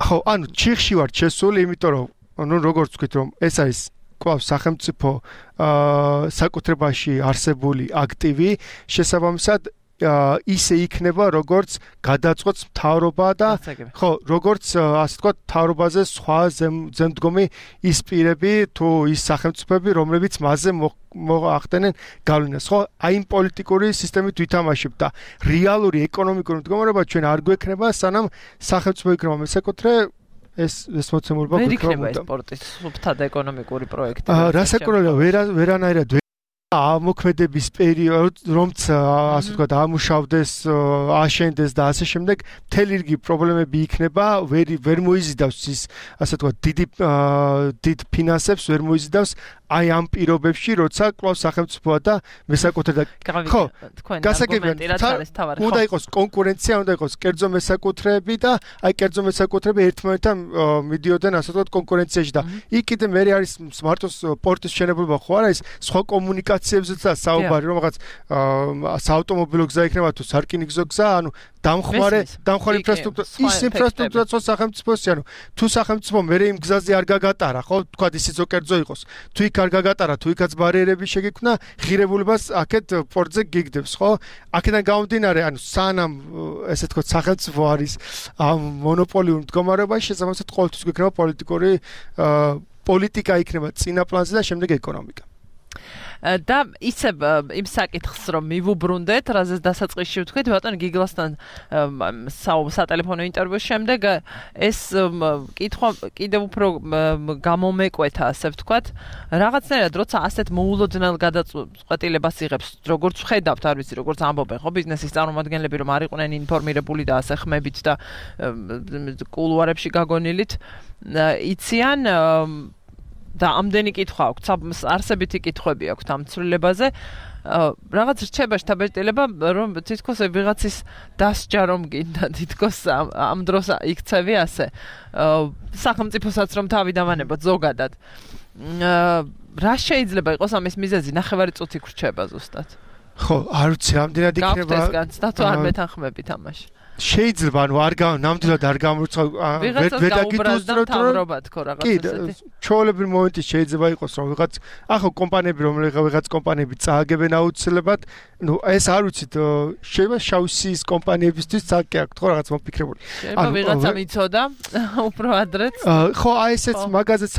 ხო, ანუ ჩიხში ვარ შესული, იმიტომ რომ ნუ როგორც ვთქვით, რომ ეს არის კვლავ სახელმწიფო საკუთრებაში არსებული აქტივი, შესაბამისად ისე იქნება როგორც გადაწყვეტს მთავრობა და ხო როგორც ასე ვთქვათ მთავრობაზე სხვა ზემდგომი ის პირები თუ ის სახელმწიფოები რომლებიც მასზე მოახდენენ გავლენას ხო აი იმ პოლიტიკური სისტემით ვითამაშებ და რეალური ეკონომიკური მდგომარეობა ჩვენ არ გვექნება სანამ სახელმწიფო იქნება მესაკუთრე ეს ეს მოცემულობა გვექნება. ვერ იქნება ეს სპორტის სუფთად ეკონომიკური პროექტი. რასაკურველია ვერანაირად ამოქმედების პერიოდ, რომც ასე ვთქვათ, ამუშავდეს, აშენდეს და ასე შემდეგ, მთელი რიგი პრობლემები იქნება, ვერ ვერ მოიზიდავს ის, ასე ვთქვათ, დიდი დიდ ფინანსებს ვერ მოიზიდავს აი ამ პირობებში, როცა კვლავ სახელმწიფოა და მესაკუთრე და ხო, გასაგებია, უნდა იყოს კონკურენცია, უნდა იყოს კერძო მესაკუთრეები და აი კერძო მესაკუთრეები ერთმანეთთან მიდიოდნენ, ასე ვთქვათ, კონკურენციაში და იქ კიდე მე არის მარტო პორტის შენებლობა ხო არა ის სხვა კომუნიკაციებზეც და საუბარი რომ რაღაც საავტომობილო გზა იქნება თუ სარკინიგზო გზა, ანუ დამხმარე დამხმარე ინფრასტრუქტურა ის ინფრასტრუქტურა ხო სახელმწიფოსი, ანუ თუ სახელმწიფო მე იმ გზაზე არ გაგატარა, ხო, თქვა ისიც კერძო იყოს. თუ იქ არ გაგატარა, თუ იქაც ბარიერები შეგიქმნა, ღირებულებას აქეთ პორტზე გიგდებს, ხო? აქედან გამომდინარე, ანუ სანამ ესე თქო სახელმწიფო არის ამ მონოპოლიურ მდგომარეობაში, შესაბამისად ყოველთვის გვექნება პოლიტიკური პოლიტიკა იქნება წინა პლანზე და შემდეგ ეკონომიკა. და ისევ იმ საკითხს რომ მივუბრუნდეთ, რაზეც დასაწყისში ვთქვით, ბატონ გიგლასთან სატელეფონო ინტერვიუს შემდეგ ეს კითხვა კიდევ უფრო გამომეკვეთა, ასე ვთქვათ, რაღაცნაირად როცა ასეთ მოულოდნელ გადაწყვეტილებას იღებს, როგორც ვხედავთ, არ ვიცი, როგორც ამბობენ, ხო, ბიზნესის წარმომადგენლები რომ არ იყვნენ ინფორმირებული და ასე ხმებით და კულუარებში გაგონილით, იციან და ამდენი კითხვა აქვს, არსებითი კითხვები აქვს ამ ცვლილებაზე. რაღაც რჩება შთაბეჭდილება, რომ თითქოს ვიღაცის დასჯა რომ გინდა, თითქოს ამ დროს იქცევი ასე. სახელმწიფოსაც რომ თავი დავანებოთ ზოგადად. რა შეიძლება იყოს ამის მიზეზი? ნახევარი წუთი გრჩება ზუსტად. ხო, არ ვიცი, ამდენად იქნება. გავხდეს განცდა თუ არ მეთანხმებით ამაში. შეიძლება, ანუ არ გამ ნამდვილად არ გამორჩა ვედაგიტუსდროთ თავრობა თქო რაღაც კი, ესეთი. ჩვეულებრივი მომენტი შეიძლება იყოს, რომ ვიღაც ახო კომპანიები, რომლებიღა ვიღაც კომპანიები წააგებენ აუცილებლად, ну, ეს არ ვიცით, შეიძლება შავსის კომპანიებისთვის ცალკე აქვს, ხო, რაღაც მოფიქრებული. ანუ ვიღაცა მიცოდა უფრო ადრეც. ხო, აი ესეც მაგაზეც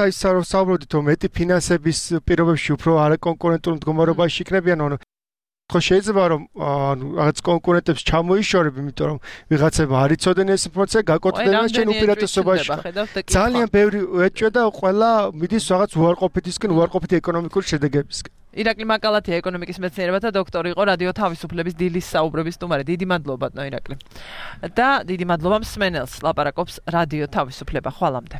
საუბრობდით, რომ მეტი ფინანსების პირობებში უფრო არაკონკურენტულ მდგომარეობაში იქნებიან, ანუ ხო შეიძლება რომ რაღაც კონკურენტებს ჩამოიშორებ, იმიტომ რომ ვიღაცება არ იცოდნენ ეს ინფორმაცია, გაკოტრდნენ და ჩვენ უპირატესობაში. ძალიან ბევრი ეჭვია და ყველა მიდის რაღაც უარყოფითისკენ, უარყოფითი ეკონომიკური შედეგებისკენ. ირაკლი მაკალათია ეკონომიკის მეცნიერებათა დოქტორი იყო რადიო თავისუფლების დილის საუბრების სტუმარი. დიდი მადლობა ბატონო ირაკლი. და დიდი მადლობა მსმენელს, ლაპარაკობს რადიო თავისუფლება. ხვალამდე.